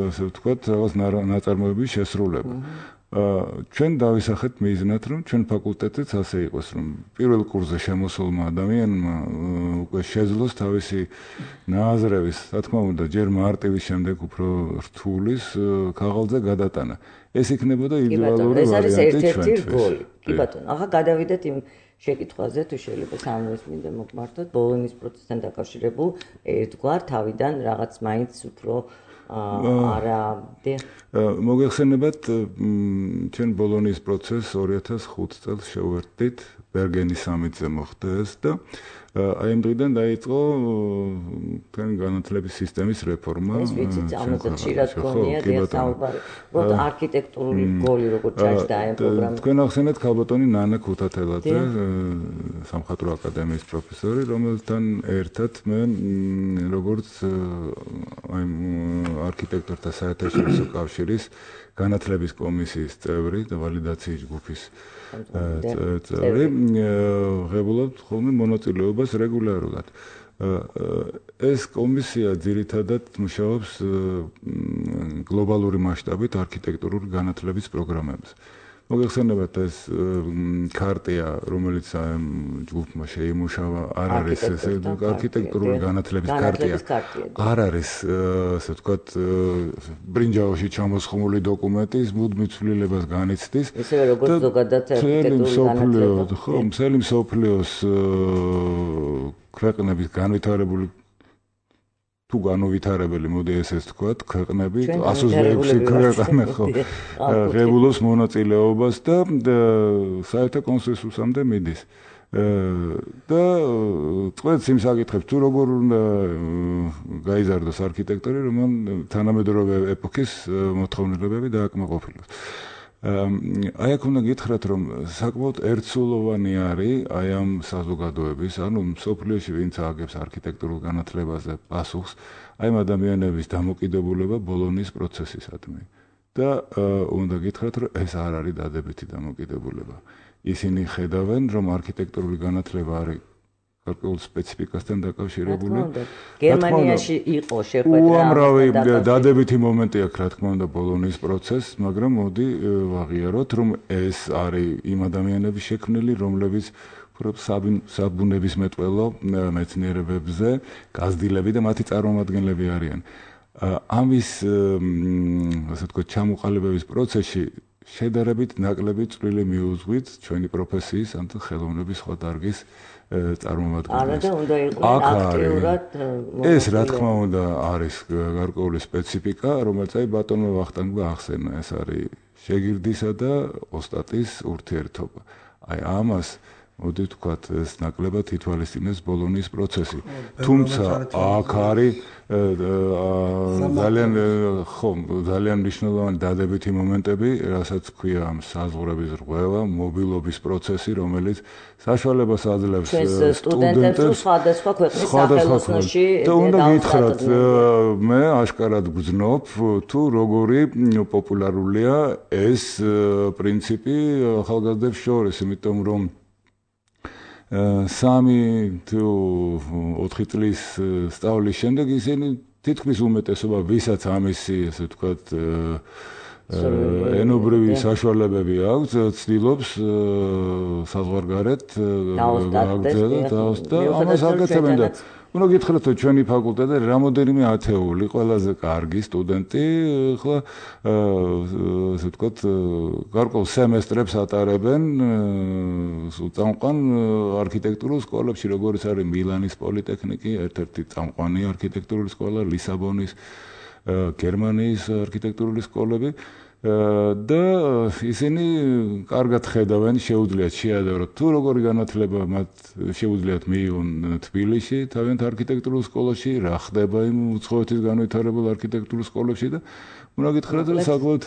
ასე ვთქვათ, რაღაც ნაწარმოების შესრულება. ჩვენ დავისახეთ მიზნად, რომ ჩვენ ფაკულტეტიც ასე იყოს, რომ პირველ კურსზე შემოსულმა ადამიანმა უკვე შეძლოს თავისი ნააზრევის, რა თქმა უნდა, ჯერ მარტივის შემდეგ უფრო რთულის ქაღალდზე გადატანა. ეს იქნებოდა იდეალური ვარიანტი. ეს არის ერთ-ერთი რგოლი. კი ბატონო, ახლა გადავიდეთ იმ შეკითხვაზე, თუ შეიძლება სამუეს მინდა მოგმართოთ, ბოლონის პროცესთან დაკავშირებულ ერთგვარ თავიდან რაღაც მაინც უფრო არა მოგეხსენებათ, ჩვენ ბოლონის პროცესს ორი ათას ხუთი წელს შევერთდით, ბერგენის სამიტზე მოხდა ეს და აი ამ დღიდან დაიწყო თქვენ განათლების სისტემის რეფორმა. ეს ვიცით, ამაზე ხშირად გქონია საუბარი. უბრალოდ არქიტექტურული რგოლი როგორც ჭარბდა ამ პროგრამაში. თქვენ ახსენეთ ქალბატონი ნანა ქუთათელაძე, სამხატვრო აკადემიის პროფესორი, რომელთან ერთად მე როგორც აი არქიტექტორთა საერთაშორისო კავშირის განათლების კომისიის წევრი და ვალიდაციის ჯგუფის წევრი ღებულობთ ხოლმე მონაწილეობას რეგულარულად. ეს კომისია ძირითადად მუშაობს გლობალური მასშტაბით არქიტექტურული განათლების პროგრამებზე. მოგეხსენებათ ეს ქარტია, რომელიც ჯგუფმა შეიმუშავა, არ არის ეს არქიტექტურული განათლების ქარტია. არ არის, ასე ვთქვათ, ბრინჯაოში ჩამოსხმული დოკუმენტი, ის მუდმივ ცვლილებას განიცდის. ისევე როგორც ზოგადად არქიტექტურული განათლება. ხო, მთელი მსოფლიოს ქვეყნების განვითარებული თუ განუვითარებელი, მოდი ესეც ვთქვათ, ქვეყნები ათას ექვსი ქვეყანა ხო ღებულობს მონაწილეობას და საერთო კონსენსუსამდე მიდის. და წყვეტს იმ საკითხებს, თუ როგორ უნდა გაიზარდოს არქიტექტორი, რომ თანამედროვე ეპოქის მოთხოვნილებები დააკმაყოფილოს. აი აქ უნდა გითხრათ, რომ საკმაოდ ერთსულოვანი არის აი ამ საზოგადოების, ანუ მსოფლიოში ვინც ააგებს არქიტექტურულ განათლებაზე პასუხს, აი ამ ადამიანების დამოკიდებულება ბოლონის პროცესისადმი. და უნდა გითხრათ, რომ ეს არ არის დადებითი დამოკიდებულება. ისინი ხედავენ, რომ არქიტექტურული განათლება არის გარკვეულ სპეციფიკასთან დაკავშირებული. გერმანიაში იყო შეხვედრა. უამრავი დადებითი მომენტი აქვს, რა თქმა უნდა, ბოლონის პროცესს, მაგრამ მოდი ვაღიაროთ, რომ ეს არის იმ ადამიანების შექმნილი, რომლებიც საბუნებისმეტყველო მეცნიერებებზე გაზრდილები და მათი წარმომადგენლები არიან. ამის, ასე ვთქვათ, ჩამოყალიბების პროცესში შედარებით ნაკლები წვლილი მიუძღვით ჩვენი პროფესიის, ან ხელოვნების სხვა დარგის წარმომადგენლებს. არა და უნდა იყვნენ აქტიურად. ეს რა თქმა უნდა არის გარკვეული სპეციფიკა, რომელიც აი ბატონმა ვახტანგმა ახსენა, ეს არის შეგირდისა და ოსტატის ურთიერთობა. აი ამას მოდი ვთქვათ, ეს ნაკლებად ითვალისწინებს ბოლონის პროცესი. თუმცა აქ არის ძალიან ხო, ძალიან მნიშვნელოვანი დადებითი მომენტები, რასაც ქვია ამ საზღვრების რღვევა, მობილობის პროცესი, რომელიც საშუალებას აძლევს სტუდენტებს სხვადასხვა ქვეყნის სახელოსნოში და უნდა გითხრათ, მე აშკარად გძნობ, თუ როგორი პოპულარულია ეს პრინციპი ახალგაზრდებს შორის, იმიტომ რომ სამი თუ ოთხი წლის სწავლის შემდეგ ისინი თითქმის უმეტესობა, ვისაც ამისი, ასე ვთქვათ, ენობრივი საშუალებები აქვს, ცდილობს საზღვარგარეთ გაგრძელოს და ამას აკეთებენ და უნდა გითხრათ, რომ ჩვენი ფაკულტეტი რამოდენიმე ათეული ყველაზე კარგი სტუდენტი, ახლა ასე ვთქვათ, გარკვეულ სემესტრებს ატარებენ წამყვან არქიტექტურულ სკოლებში, როგორც არის მილანის პოლიტექნიკი, ერთ-ერთი წამყვანი არქიტექტურული სკოლა, ლისაბონის, გერმანიის არქიტექტურული სკოლები და ისინი კარგად ხედავენ, შეუძლიათ შეადაროთ თუ როგორი განათლება მათ შეუძლიათ მიიღონ თბილისში, თავიანთ არქიტექტურულ სკოლაში, რა ხდება იმ უცხოეთის განვითარებულ არქიტექტურულ სკოლებში და უნდა გითხრათ, რომ საკმაოდ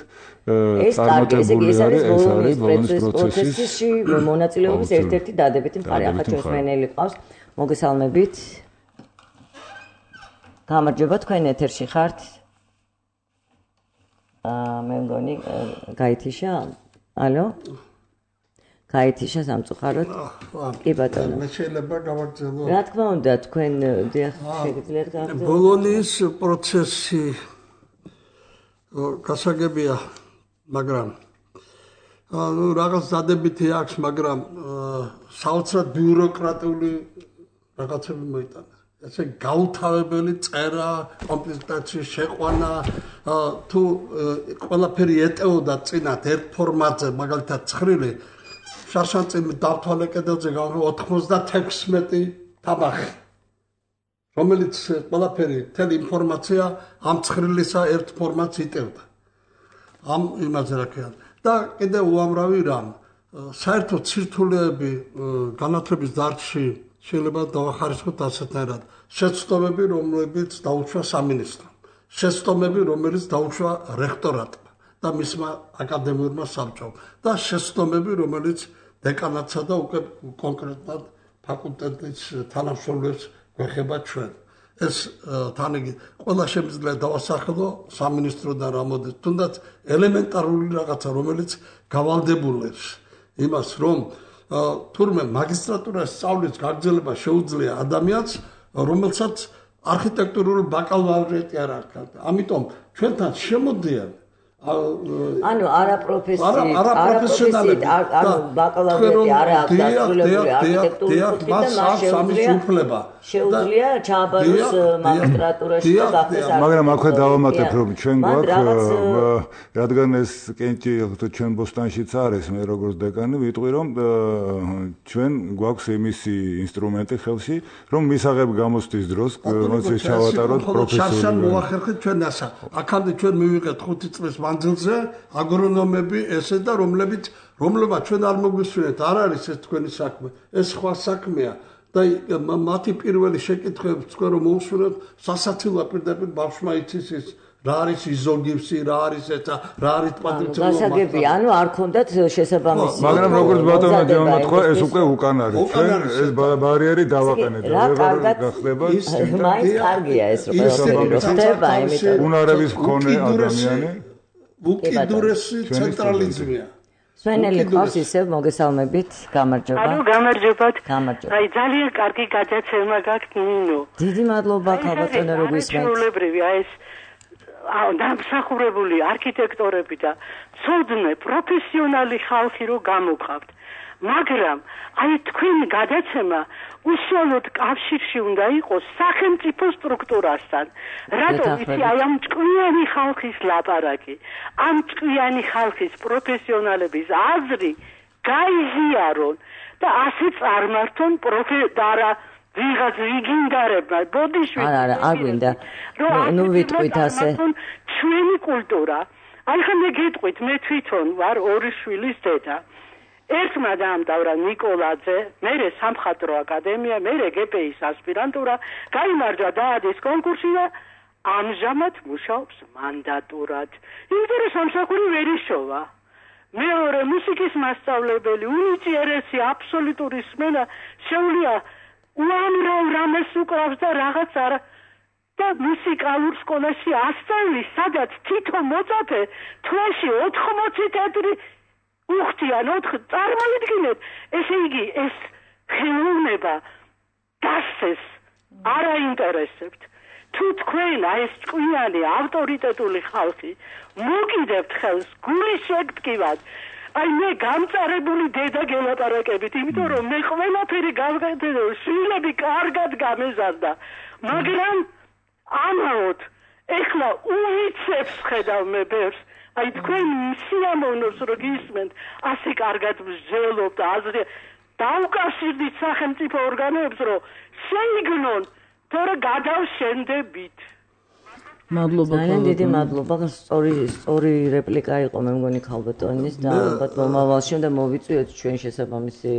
წარმატებული არის ეს არის ბოლონის პროცესში მონაწილეობის ერთ-ერთი დადებითი მხარე. ახლა ჩვენს მენელი ყავს, მოგესალმებით. გამარჯობა, თქვენ ეთერში ხართ. მე მგონი გაითიშა. ალო? გაითიშა სამწუხაროდ. კი ბატონო. მე შეიძლება გავაგრძელო. რა თქმა უნდა, თქვენ დიახ შეგიძლიათ გავაგრძელოთ. ბოლონის პროცესი გასაგებია, მაგრამ ანუ რაღაც დადებითი აქვს, მაგრამ საოცრად ბიუროკრატიული რაღაცები მოიტანა. ესე გაუთავებელი წერა, კომპლექტაციის შეყვანა, თუ ყველაფერი ეტეოდა წინათ ერთ ფორმატზე, მაგალითად ცხრილი, შარშანწიმი დავთვალე კედელზე ოთხმოცდათექვსმეტი თაბახი, რომელიც ყველაფერი, მთელი ინფორმაცია ამ ცხრილისა ერთ ფორმატს იტევდა. ამ იმაზე რა ქვია. და კიდევ უამრავი რამ, საერთოდ სირთულეები განათლების დარგში შეიძლება დავახარისხოთ ასეთნაირად. შეცდომები, რომლებიც დაუშვა სამინისტრომ, შეცდომები, რომელიც დაუშვა რექტორატმა და მისმა აკადემიურმა საბჭომ და შეცდომები, რომელიც დეკანატსა და უკვე კონკრეტულად ფაკულტეტის თანამშრომლებს გვეხება ჩვენ. ეს თანიგი ყველა შემიძლია დავასახელო სამინისტროდან რა მოდის, თუნდაც ელემენტარული რაღაცა, რომელიც გავალდებულებს იმას, რომ თურმე მაგისტრატურას სწავლის გაგრძელება შეუძლია ადამიანს, რომელსაც არქიტექტურული ბაკალავრიატი არ აქვს. ამიტომ ჩვენთან შემოდიან ანუ არა პროფესიით, არა პროფესიონალები, ანუ ბაკალავრიატი არა აქვს დასრულებული არქიტექტურის კუთხით და მას შეუძლია შეუძლია ჩააბაროს მაგისტრატურაში და გახდეს. მაგრამ აქვე დავამატებ, რომ ჩვენ გვაქვს, რადგან ეს კენჭი ჩვენ ბოსტანშიც არის, მე როგორც დეკანი ვიტყვი, რომ ჩვენ გვაქვს იმისი ინსტრუმენტი ხელში, რომ მისაღებ გამოსთვის დროს, როცა ჩავატაროთ პროფესიული. შარშან მოახერხეთ ჩვენ ასა. აქამდე ჩვენ მივიღეთ ხუთი წლის მანძილზე აგრონომები ესე და რომლებიც რომლებაც ჩვენ არ მოგვისურვეთ, არ არის ეს თქვენი საქმე, ეს სხვა საქმეა და მათი პირველი შეკითხვები თქვენ რომ მოусურვებთ, სასაცილოა პირდაპირ ბავშვმა იცის ის რა არის იზოგიფსი, რა არის ეცა, რა არის პატრიციული გასაგები, ანუ არ ქონდათ შესაბამისი. მაგრამ როგორც ბატონო ჯეონო თქვა, ეს უკვე უკან არის. ჩვენ ეს ბარიერი დავაყენეთ და ვერ გახდება ის მაინც კარგია ეს ყველაფერი ხდება, იმიტომ უნარების მქონე ადამიანი უკიდურესი ცენტრალიზმია. სვენელი ყავს ისევ მოგესალმებით, გამარჯობა. ანუ გამარჯობათ. გამარჯობა. აი ძალიან კარგი გადაცემა გაქვთ ნინო. დიდი მადლობა ქალბატონო რომ გისმენთ. ჩვეულებრივი აი ეს დამსახურებული არქიტექტორები და ცოდნე პროფესიონალი ხალხი რო გამოგყავთ. მაგრამ აი თქვენი გადაცემა უშუალოდ კავშირში უნდა იყოს სახელმწიფო სტრუქტურასთან. რატომ იცი აი ამ ჭკვიანი ხალხის ლაპარაკი, ამ ჭკვიანი ხალხის პროფესიონალების აზრი გაიზიარონ და ასე წარმართონ პროფესორა ვიღაც იგინდარებმა ბოდიშვილი. არა, არა, არ გვინდა. ნუ ვიტყვით ასე. ჩვენი კულტურა. აი ხომ მე გეტყვით, მე თვითონ ვარ ორი შვილის დედა. ერთმა დაამთავრა ნიკოლაძე, მერე სამხატვრო აკადემია, მერე გპ-ის ასპირანტურა, გაიმარჯვა დაადის კონკურსი და ამჟამად მუშაობს მანდატურად. იმიტომ რომ სამსახური ვერ იშოვა. მეორე მუსიკის მასწავლებელი, უნიჭიერესი აბსოლუტური სმენა, შეუძლია უამრავ რამეს უკრავს და რაღაც არა და მუსიკალურ სკოლაში ასწავლის, სადაც თითო მოწაფე თვეში ოთხმოცი თეთრი უხდიან ოთხ წარმოიდგინეთ, ესე იგი ეს ხელოვნება დასცეს არ აინტერესებთ. თუ თქვენ აი ეს ჭკვიანი ავტორიტეტული ხალხი მოგიდებთ ხელს გული შეგტკივად, აი მე გამწარებული დედა გელაპარაკებით, იმიტომ რომ მე ყველაფერი გავგეთე, შვილები კარგად გამეზარდა, მაგრამ ამაოდ ეხლა უიცებს ხედავ მე ბევრს. აი თქვენ სიამოვნებს რო გისმენთ, ასე კარგად მსჯელობთ აზრი დაუკავშირდით სახელმწიფო ორგანოებს, რომ შეიგნონ, თორე გადავშენდებით. მადლობა. ძალიან დიდი მადლობა. სწორი სწორი რეპლიკა იყო მე მგონი ქალბატონის და ალბათ მომავალში უნდა მოვიწვიოთ ჩვენ შესაბამისი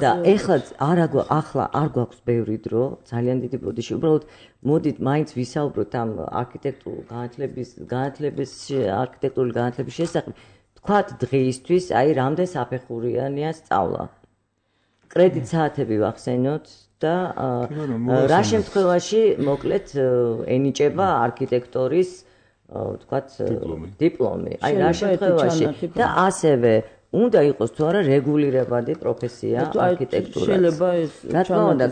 და ეხლა არა ახლა არ გვაქვს ბევრი დრო, ძალიან დიდი ბოდიში. უბრალოდ მოდით მაინც ვისაუბროთ ამ არქიტექტურულ განათლების განათლების არქიტექტურული განათლების შესახებ. თქვათ დღეისთვის აი რამდენ საფეხურიანია სწავლა. კრედიტ საათები ვახსენოთ და რა შემთხვევაში მოკლედ ენიჭება არქიტექტორის თქვათ დიპლომი. აი რა შემთხვევაში და ასევე უნდა იყოს თუ არა რეგულირებადი პროფესია არქიტექტურა. შეიძლება ეს რა თქმა უნდა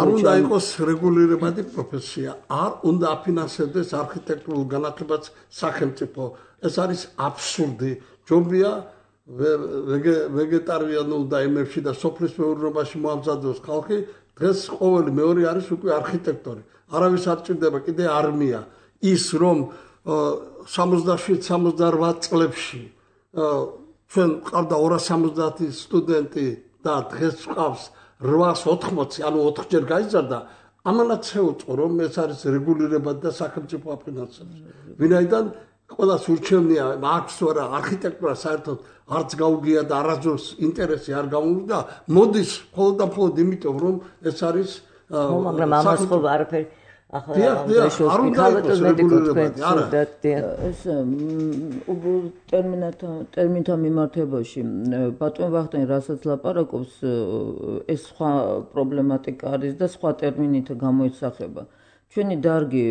არ უნდა იყოს რეგულირებადი პროფესია. არ უნდა აფინანსებდეს არქიტექტურულ განათლებას სახელმწიფო. ეს არის აბსურდი. ჯობია ვეგეტარიანულ და იმებში და სოფლის მეურნეობაში მოამზადოს ხალხი. დღეს ყოველი მეორე არის უკვე არქიტექტორი. არავის არ ჭირდება კიდე არმია. ის რომ სამოცდაშვიდ სამოცდაოთხ წლებში ჩვენ ყავდა ორას სამოცდაათი სტუდენტი და დღეს ყავს რვას ოთხმოცი, ანუ ოთხჯერ გაიზარდა. ამანაც შეუწყო რომ ეს არის რეგულირებადი და სახელმწიფო აფინანსებს. ვინაიდან ყველას ურჩევნია აქვს თუ არა არქიტექტურა საერთოდ არც გაუგია და არასდროს ინტერესი არ გამოუგდა. მოდის მხოლოდ და მხოლოდ იმიტომ რომ ეს არის მაგრამ ამას ხო არაფერი ახლა არ უნდა იყოს რეგულირებადი. არა ეს ტერმინათა ტერმინთა მიმართებაში ბატონ ვახტანგი რასაც ლაპარაკობს ეს სხვა პრობლემატიკა არის და სხვა ტერმინით გამოისახება. ჩვენი დარგი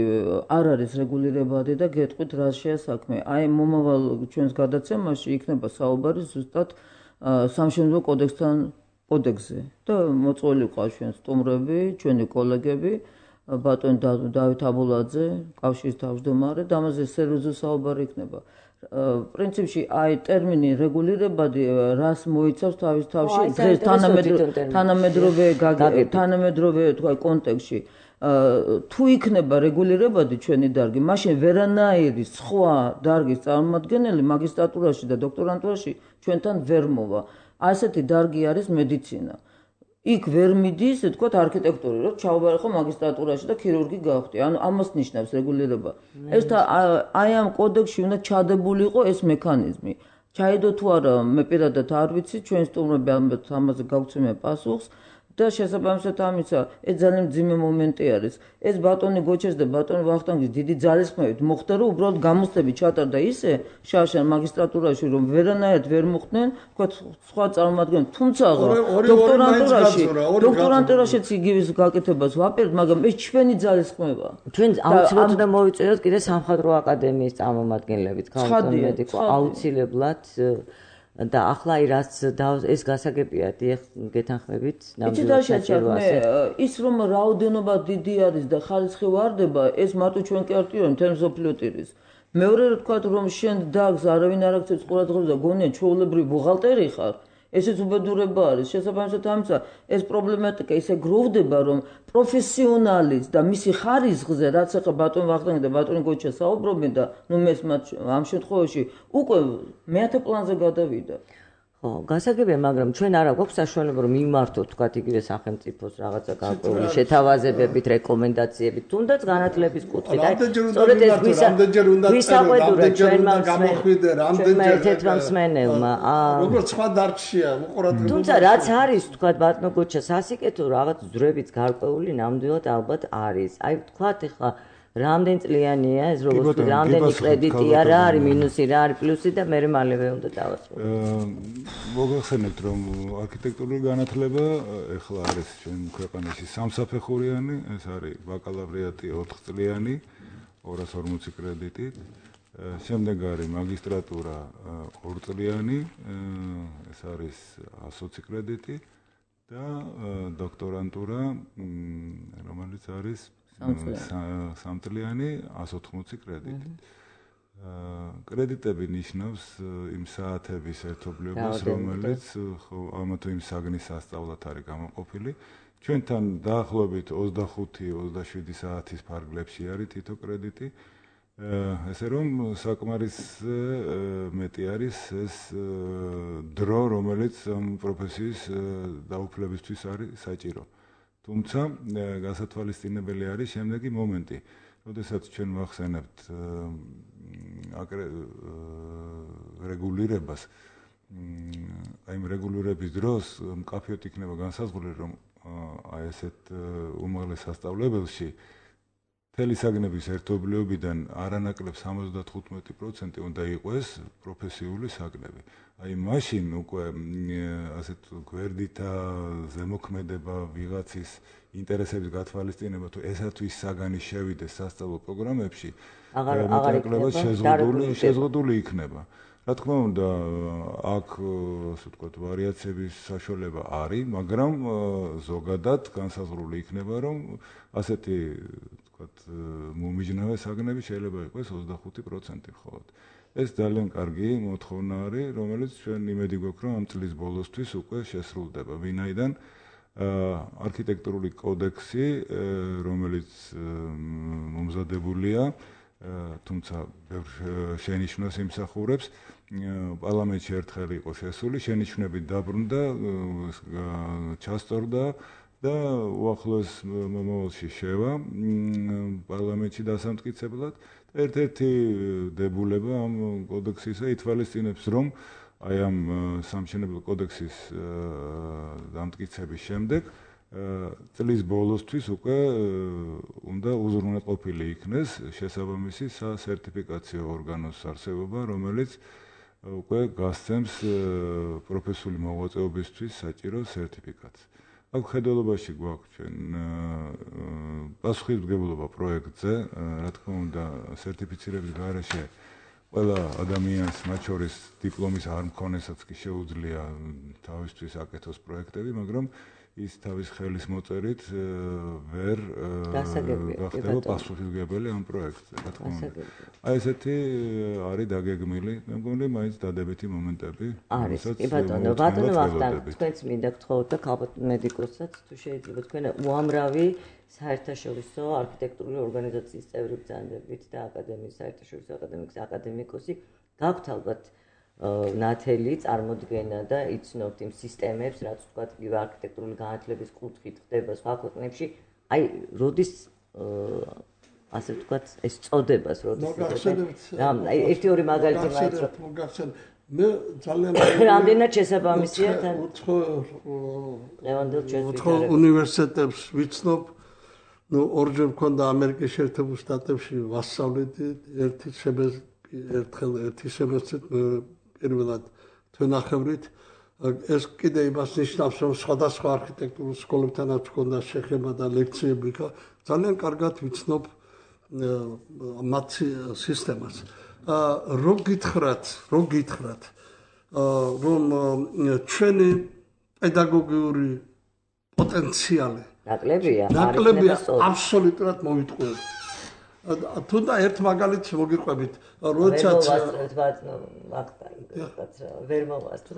არ არის რეგულირებადი და გეტყვით რა შეასაქმე. აი მომავალ ჩვენს გადაცემაში იქნება საუბარი ზუსტად სამშენებლო კოდექსთან კოდექსზე და მოწვეული ყავს ჩვენ სტუმრები, ჩვენი კოლეგები, ბატონ დავით აბულაძე, კავშირის თავმჯდომარე და ამაზე სერიოზული საუბარი იქნება. პრინციპში აი ტერმინი რეგულირებადი რას მოიცავს თავის თავში დღეს თანამედროვე თანამედროვე თქვა კონტექსტში თუ იქნება რეგულირებადი ჩვენი დარგი, მაშინ ვერანაირი სხვა დარგის წარმომადგენელი მაგისტრატურაში და დოქტორანტურაში ჩვენთან ვერ მოვა. ასეთი დარგი არის მედიცინა. იქ ვერ მიდის, თქვათ არქიტექტური, რომ ჩავაბარეხო მაგისტრატურაში და ქირურგი გავხდი. ანუ ამას ნიშნავს რეგულირება. ეს აი ამ კოდექსში უნდა ჩადებული იყო ეს მექანიზმი. ჩაიდო თუ არა, მე პირადად არ ვიცი, ჩვენ სტუმრები ამაზე გავცემენ პასუხს. და შესაბამისად ამისა, ეს ძალიან მძიმე მომენტი არის. ეს ბატონი გოჩეს და ბატონი ვახტანგის დიდი ძალისხმევით მოხდა, რომ უბრალოდ გამოცდები ჩატარდა ისე შარშან მაგისტრატურაში, რომ ვერანაირად ვერ მოხდნენ, თქვა სხვა წარმომადგენლები, თუმცა დოქტორანტურაში, დოქტორანტურაშიც იგივეს გაკეთებას ვაპირებთ, მაგრამ ეს ჩვენი ძალისხმევაა. ჩვენ აუცილებლად უნდა მოვიწვიოთ კიდე სამხატვრო აკადემიის წარმომადგენლებიც, ქალბატონ მედიკო, აუცილებლად და ახლა რაც ეს გასაგებია დიახ გეთანხმებით ნამდვილად საჭიროა ის რომ რაოდენობა დიდი არის და ხარისხი ვარდება ეს მარტო ჩვენ კი არ ტირონ თემ სოფლიოტირის მეორე რა თქვა რომ შენ დაგს არავინ არ აქცევს ყურადღებას და გონია ჩვეულებრივი ბუღალტერი ხარ ესეც უბედურება არის შესაბამისად ამისა ეს პრობლემატიკა ისე გროვდება რომ პროფესიონალის და მისი ხარისხზე რაც ახლა ბატონ ვახტანგი და ბატონი გოჩა საუბრობენ და ნუ მე ამ შემთხვევაში უკვე მეათე პლანზე გადავიდა ხო გასაგებია მაგრამ ჩვენ არა გვაქვს საშუალება რომ მიმართოთ თქვათ იგივე სახელმწიფოს რაღაცა გარკვეული შეთავაზებებით რეკომენდაციებით თუნდაც განათლების კუთხით აი სწორედ ეს გვისაყვედურა ჩვენმა გამოხვიდე რამდენჯერ ერთმა მსმენელმა როგორც სხვა დარგშია უყურადღება თუმცა რაც არის თქვათ ბატონო გოჩა სასიკეთო რაღაც ძვრებით გარკვეული ნამდვილად ალბათ არის აი თქვათ ეხლა რამდენ წლიანია ეს როგორც რამდენი კრედიტია რა არის მინუსი რა არის პლუსი და მე მალევე უნდა დავასრულო. მოგახსენებთ რომ არქიტექტურული განათლება ეხლა არის ჩვენ ქვეყანაში სამსაფეხურიანი, ეს არის ბაკალავრიატი ოთხ წლიანი ორას ორმოცი კრედიტით. შემდეგ არის მაგისტრატურა ორ წლიანი, ეს არის ასოცი კრედიტი და დოქტორანტურა რომელიც არის სამწლიანი ასი ოთხმოცი კრედიტი. კრედიტები ნიშნავს იმ საათების ერთობლიობას, რომელიც ამა თუ იმ საგნის სასწავლად არის გამოყოფილი. ჩვენთან დაახლოებით ოცდახუთი ოცდაშვიდი საათის ფარგლებში არის თითო კრედიტი. ესე რომ საკმარის მეტი არის ეს დრო, რომელიც ამ პროფესიის დაუფლებისთვის არის საჭირო. თუმცა გასათვალისწინებელი არის შემდეგი მომენტი. როდესაც ჩვენ ვახსენებთ რეგულირებას, აი იმ რეგულირების დროს მკაფიოდ იქნება განსაზღვრული, რომ აი ესეთ უმაღლეს სასწავლებელში მთელი საგნების ერთობლიობიდან არანაკლებ სამოცდათხუთმეტი პროცენტი უნდა იყოს პროფესიული საგნები. აი მაშინ უკვე ასეთ გვერდითა ზემოქმედება ვიღაცის ინტერესების გათვალისწინება თუ ესათვის საგანი შევიდეს სასწავლო პროგრამებში, აღარ შეზღუდული შეზღუდული იქნება. რა თქმა უნდა, აქ ასე ვთქვათ, ვარიაციების საშუალება არის, მაგრამ ზოგადად განსაზღვრული იქნება, რომ ასეთი ვთქვათ, მომიჯნავე საგნები შეიძლება იყოს ოცდახუთი პროცენტი მხოლოდ. ეს ძალიან კარგი მოთხოვნა არის, რომელიც ჩვენ იმედი გვაქვს, რომ ამ წლის ბოლოსთვის უკვე შესრულდება. ვინაიდან არქიტექტურული კოდექსი, რომელიც მომზადებულია, თუმცა შენიშვნას იმსახურებს, პარლამენტში ერთხელ იყო შესული, შენიშვნები დაბრუნდა, ჩასწორდა და უახლოეს მომავალში შევა პარლამენტში დასამტკიცებლად. ერთ-ერთი დებულება ამ კოდექსისა ითვალისწინებს, რომ აი ამ სამშენებლო კოდექსის დამტკიცების შემდეგ წლის ბოლოსთვის უკვე უნდა უზრუნველყოფილი იქნეს შესაბამისი სასერტიფიკაციო ორგანოს არსებობა, რომელიც უკვე გასცემს პროფესიული მოღვაწეობისთვის საჭირო სერტიფიკატს. აქ ხედველობაში გვაქვს ჩვენ პასუხისმგებლობა პროექტზე, რა თქმა უნდა, სერტიფიცირების გარეშე ყველა ადამიანს, მათ შორის დიპლომის არ მქონესაც კი შეუძლია თავისთვის აკეთოს პროექტები, მაგრამ ის თავის ხელის მოწერით ვერ გახდება პასუხისმგებელი ამ პროექტზე, რა თქმა უნდა. აი ესეთი არის დაგეგმილი, მე მგონი მაინც დადებითი მომენტები. არის, კი ბატონო, ბატონო ვახტანგ, თქვენც მინდა გთხოვოთ და ალბათ მედიკოსაც თუ შეიძლება თქვენ უამრავი საერთაშორისო არქიტექტურული ორგანიზაციის წევრი ბრძანდებით და აკადემიის საერთაშორისო აკადემიკის აკადემიკოსი გაქვთ ალბათ ნათელი წარმოდგენა და იცნობთ იმ სისტემებს, რაც ვთქვათ, იგივე არქიტექტურული განათლების კუთხით ხდება სხვა ქვეყნებში. აი, როდის ასე ვთქვათ, ეს წოდებას როდის ხდება? აი, ერთი-ორი მაგალითი მაინც მოგახსენებთ. მე ძალიან რამდენად შესაბამისია თან ლევანდელ ჩვენს უნივერსიტეტებს ვიცნობ. ნუ ორჯერ მქონდა ამერიკის შეერთებულ შტატებში ვასწავლედი, ერთი შემესტრი, ერთხელ ერთი შემესტრით პირველად თვენახევრით. ეს კიდე იმას ნიშნავს, რომ სხვადასხვა არქიტექტურულ სკოლებთანაც მქონდა შეხება და ლექციები. ძალიან კარგად ვიცნობ მათ სისტემას. რო გითხრათ, რო გითხრათ, რომ ჩვენი პედაგოგიური პოტენციალი ნაკლებია, ნაკლებია აბსოლუტურად მოვიტყუებს. თუნდა ერთ მაგალითს მოგიყვებით, როდესაც ვერ მოვასწრებ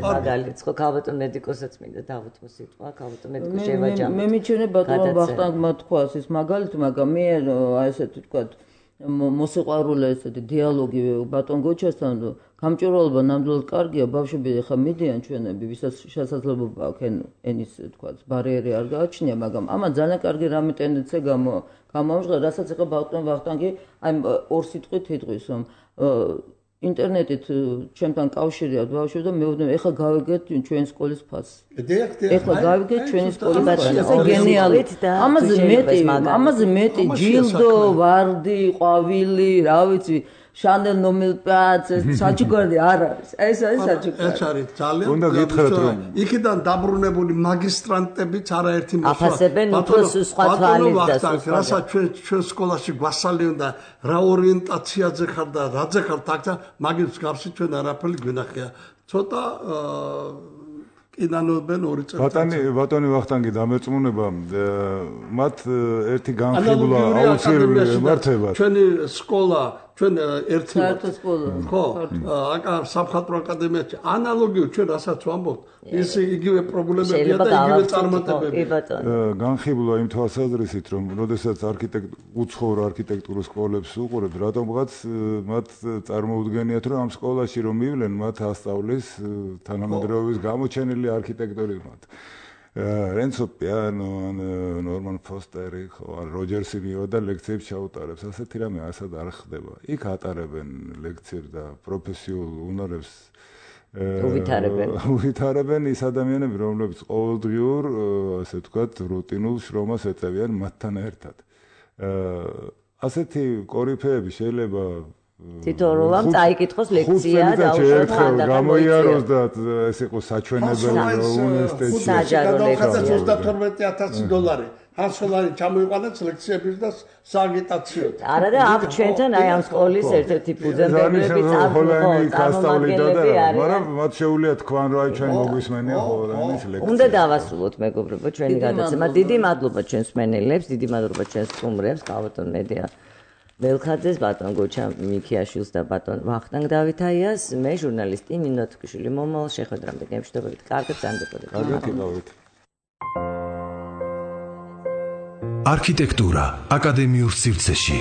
მაგალითს, ხო ქალბატონ მედიკოსაც მინდა დავუთმო სიტყვა, ქალბატონ მედიკოს შევაჯამოთ. მე მიჩვენე ბატონო ვახტანგმა თქვას ის მაგალითი, მაგრამ მე აი ესეთი თქვა მოსიყვარულე ესეთი დიალოგი ბატონ გოჩასთან გამჭვირვალობა ნამდვილად კარგია, ბავშვები ხა მიდიან ჩვენები, ვისაც შესაძლებლობა აქვს ენის თქვა ბარიერი არ გააჩნია, მაგრამ ამან ძალიან კარგი რამე ტენდენცია გამო გამომჟღა, რასაც ეხა ბატონ ვახტანგი აი ორ სიტყვით იტყვის, რომ ინტერნეტით ჩემთან კავშირია ბავშვები და მეუბნები, ეხა გავიგეთ ჩვენი სკოლის ფასს. ეხლა გავიგეთ ჩვენი სკოლის ფასს. ეს გენიალური. ამაზე მეტი, ამაზე მეტი ჯილდო, ვარდი, ყვავილი, რა ვიცი, შანელ ნომელპაც, საჩუქარი არ არის. ეს არის საჩუქარი. ეს არის ძალიან. უნდა გითხრათ რომ იქიდან დაბრუნებული მაგისტრანტებიც არაერთი მოსვლა. აფასებენ უფრო სხვა თვალის და სხვა. რასაც ჩვენ ჩვენ სკოლაში გვასალი უნდა რა ორიენტაციაზე ხარ და რაზე ხარ თქცა მაგის გავსი ჩვენ არაფერი გვინახია. ცოტა ინანობენ ორი წელი. ბატონი ბატონი ვახტანგი დამერწმუნება მათ ერთი განხილვა აუცილებელი ემართებათ. ჩვენი სკოლა ჩვენ ერთი ხო აკა სამხატვრო აკადემიაში ანალოგიურ ჩვენ რასაც ვამბობთ ის იგივე პრობლემებია და იგივე წარმატებები. განხილვა იმ თვალსაზრისით რომ როდესაც არქიტექტ უცხოურ არქიტექტურულ სკოლებს უყურებთ რატომღაც მათ წარმოუდგენიათ რომ ამ სკოლაში რომ მივლენ მათ ასწავლის თანამედროვეობის გამოჩენილი არქიტექტორი მათ. რენცო პიანო, ნორმან ფოსტერი, ხო, როჯერსი მივიდა ლექციებს ჩაუტარებს, ასეთი რამე ასად არ ხდება. იქ ატარებენ ლექციებს და პროფესიულ უნარებს უვითარებენ. უვითარებენ ის ადამიანები, რომლებიც ყოველდღიურ, ასე ვთქვათ, რუტინულ შრომას ეწევიან მათთან ერთად. ასეთი კორიფეები შეიძლება თითოეულამ წაიკითხოს ლექცია და უშუალოდ ხანდახან გამოიაროს და ეს იყო საჩვენებელი უნივერსიტეტში. საჯარო ლექცია. ოცდათორმეტი ათასი დოლარი. ასოლარი ჩამოიყვანეთ ლექციების და სააგიტაციოდ. არა და აქ ჩვენთან აი ამ სკოლის ერთ-ერთი ფუძემდებლები წარმომადგენლები არიან. მაგრამ მათ შეუძლია თქვან რომ აი ჩვენ მოგვისმენია ხოლმე ლექცია. უნდა დავასრულოთ მეგობრებო ჩვენი გადაცემა. დიდი მადლობა ჩვენს მენელებს, დიდი მადლობა ჩვენს სტუმრებს, კალბატონ მედია ველხაძეს, ბატონ გოჩა მიქიაშვილს და ბატონ ვახტანგ დავითაიას. მე ჟურნალისტი ნინო თქმიშვილი მომავალ შეხვედრამდე გემშვიდობებით. კარგად ზანდებოდეთ. მოგეთხოვეთ. არქიტექტურა აკადემიურ სივრცეში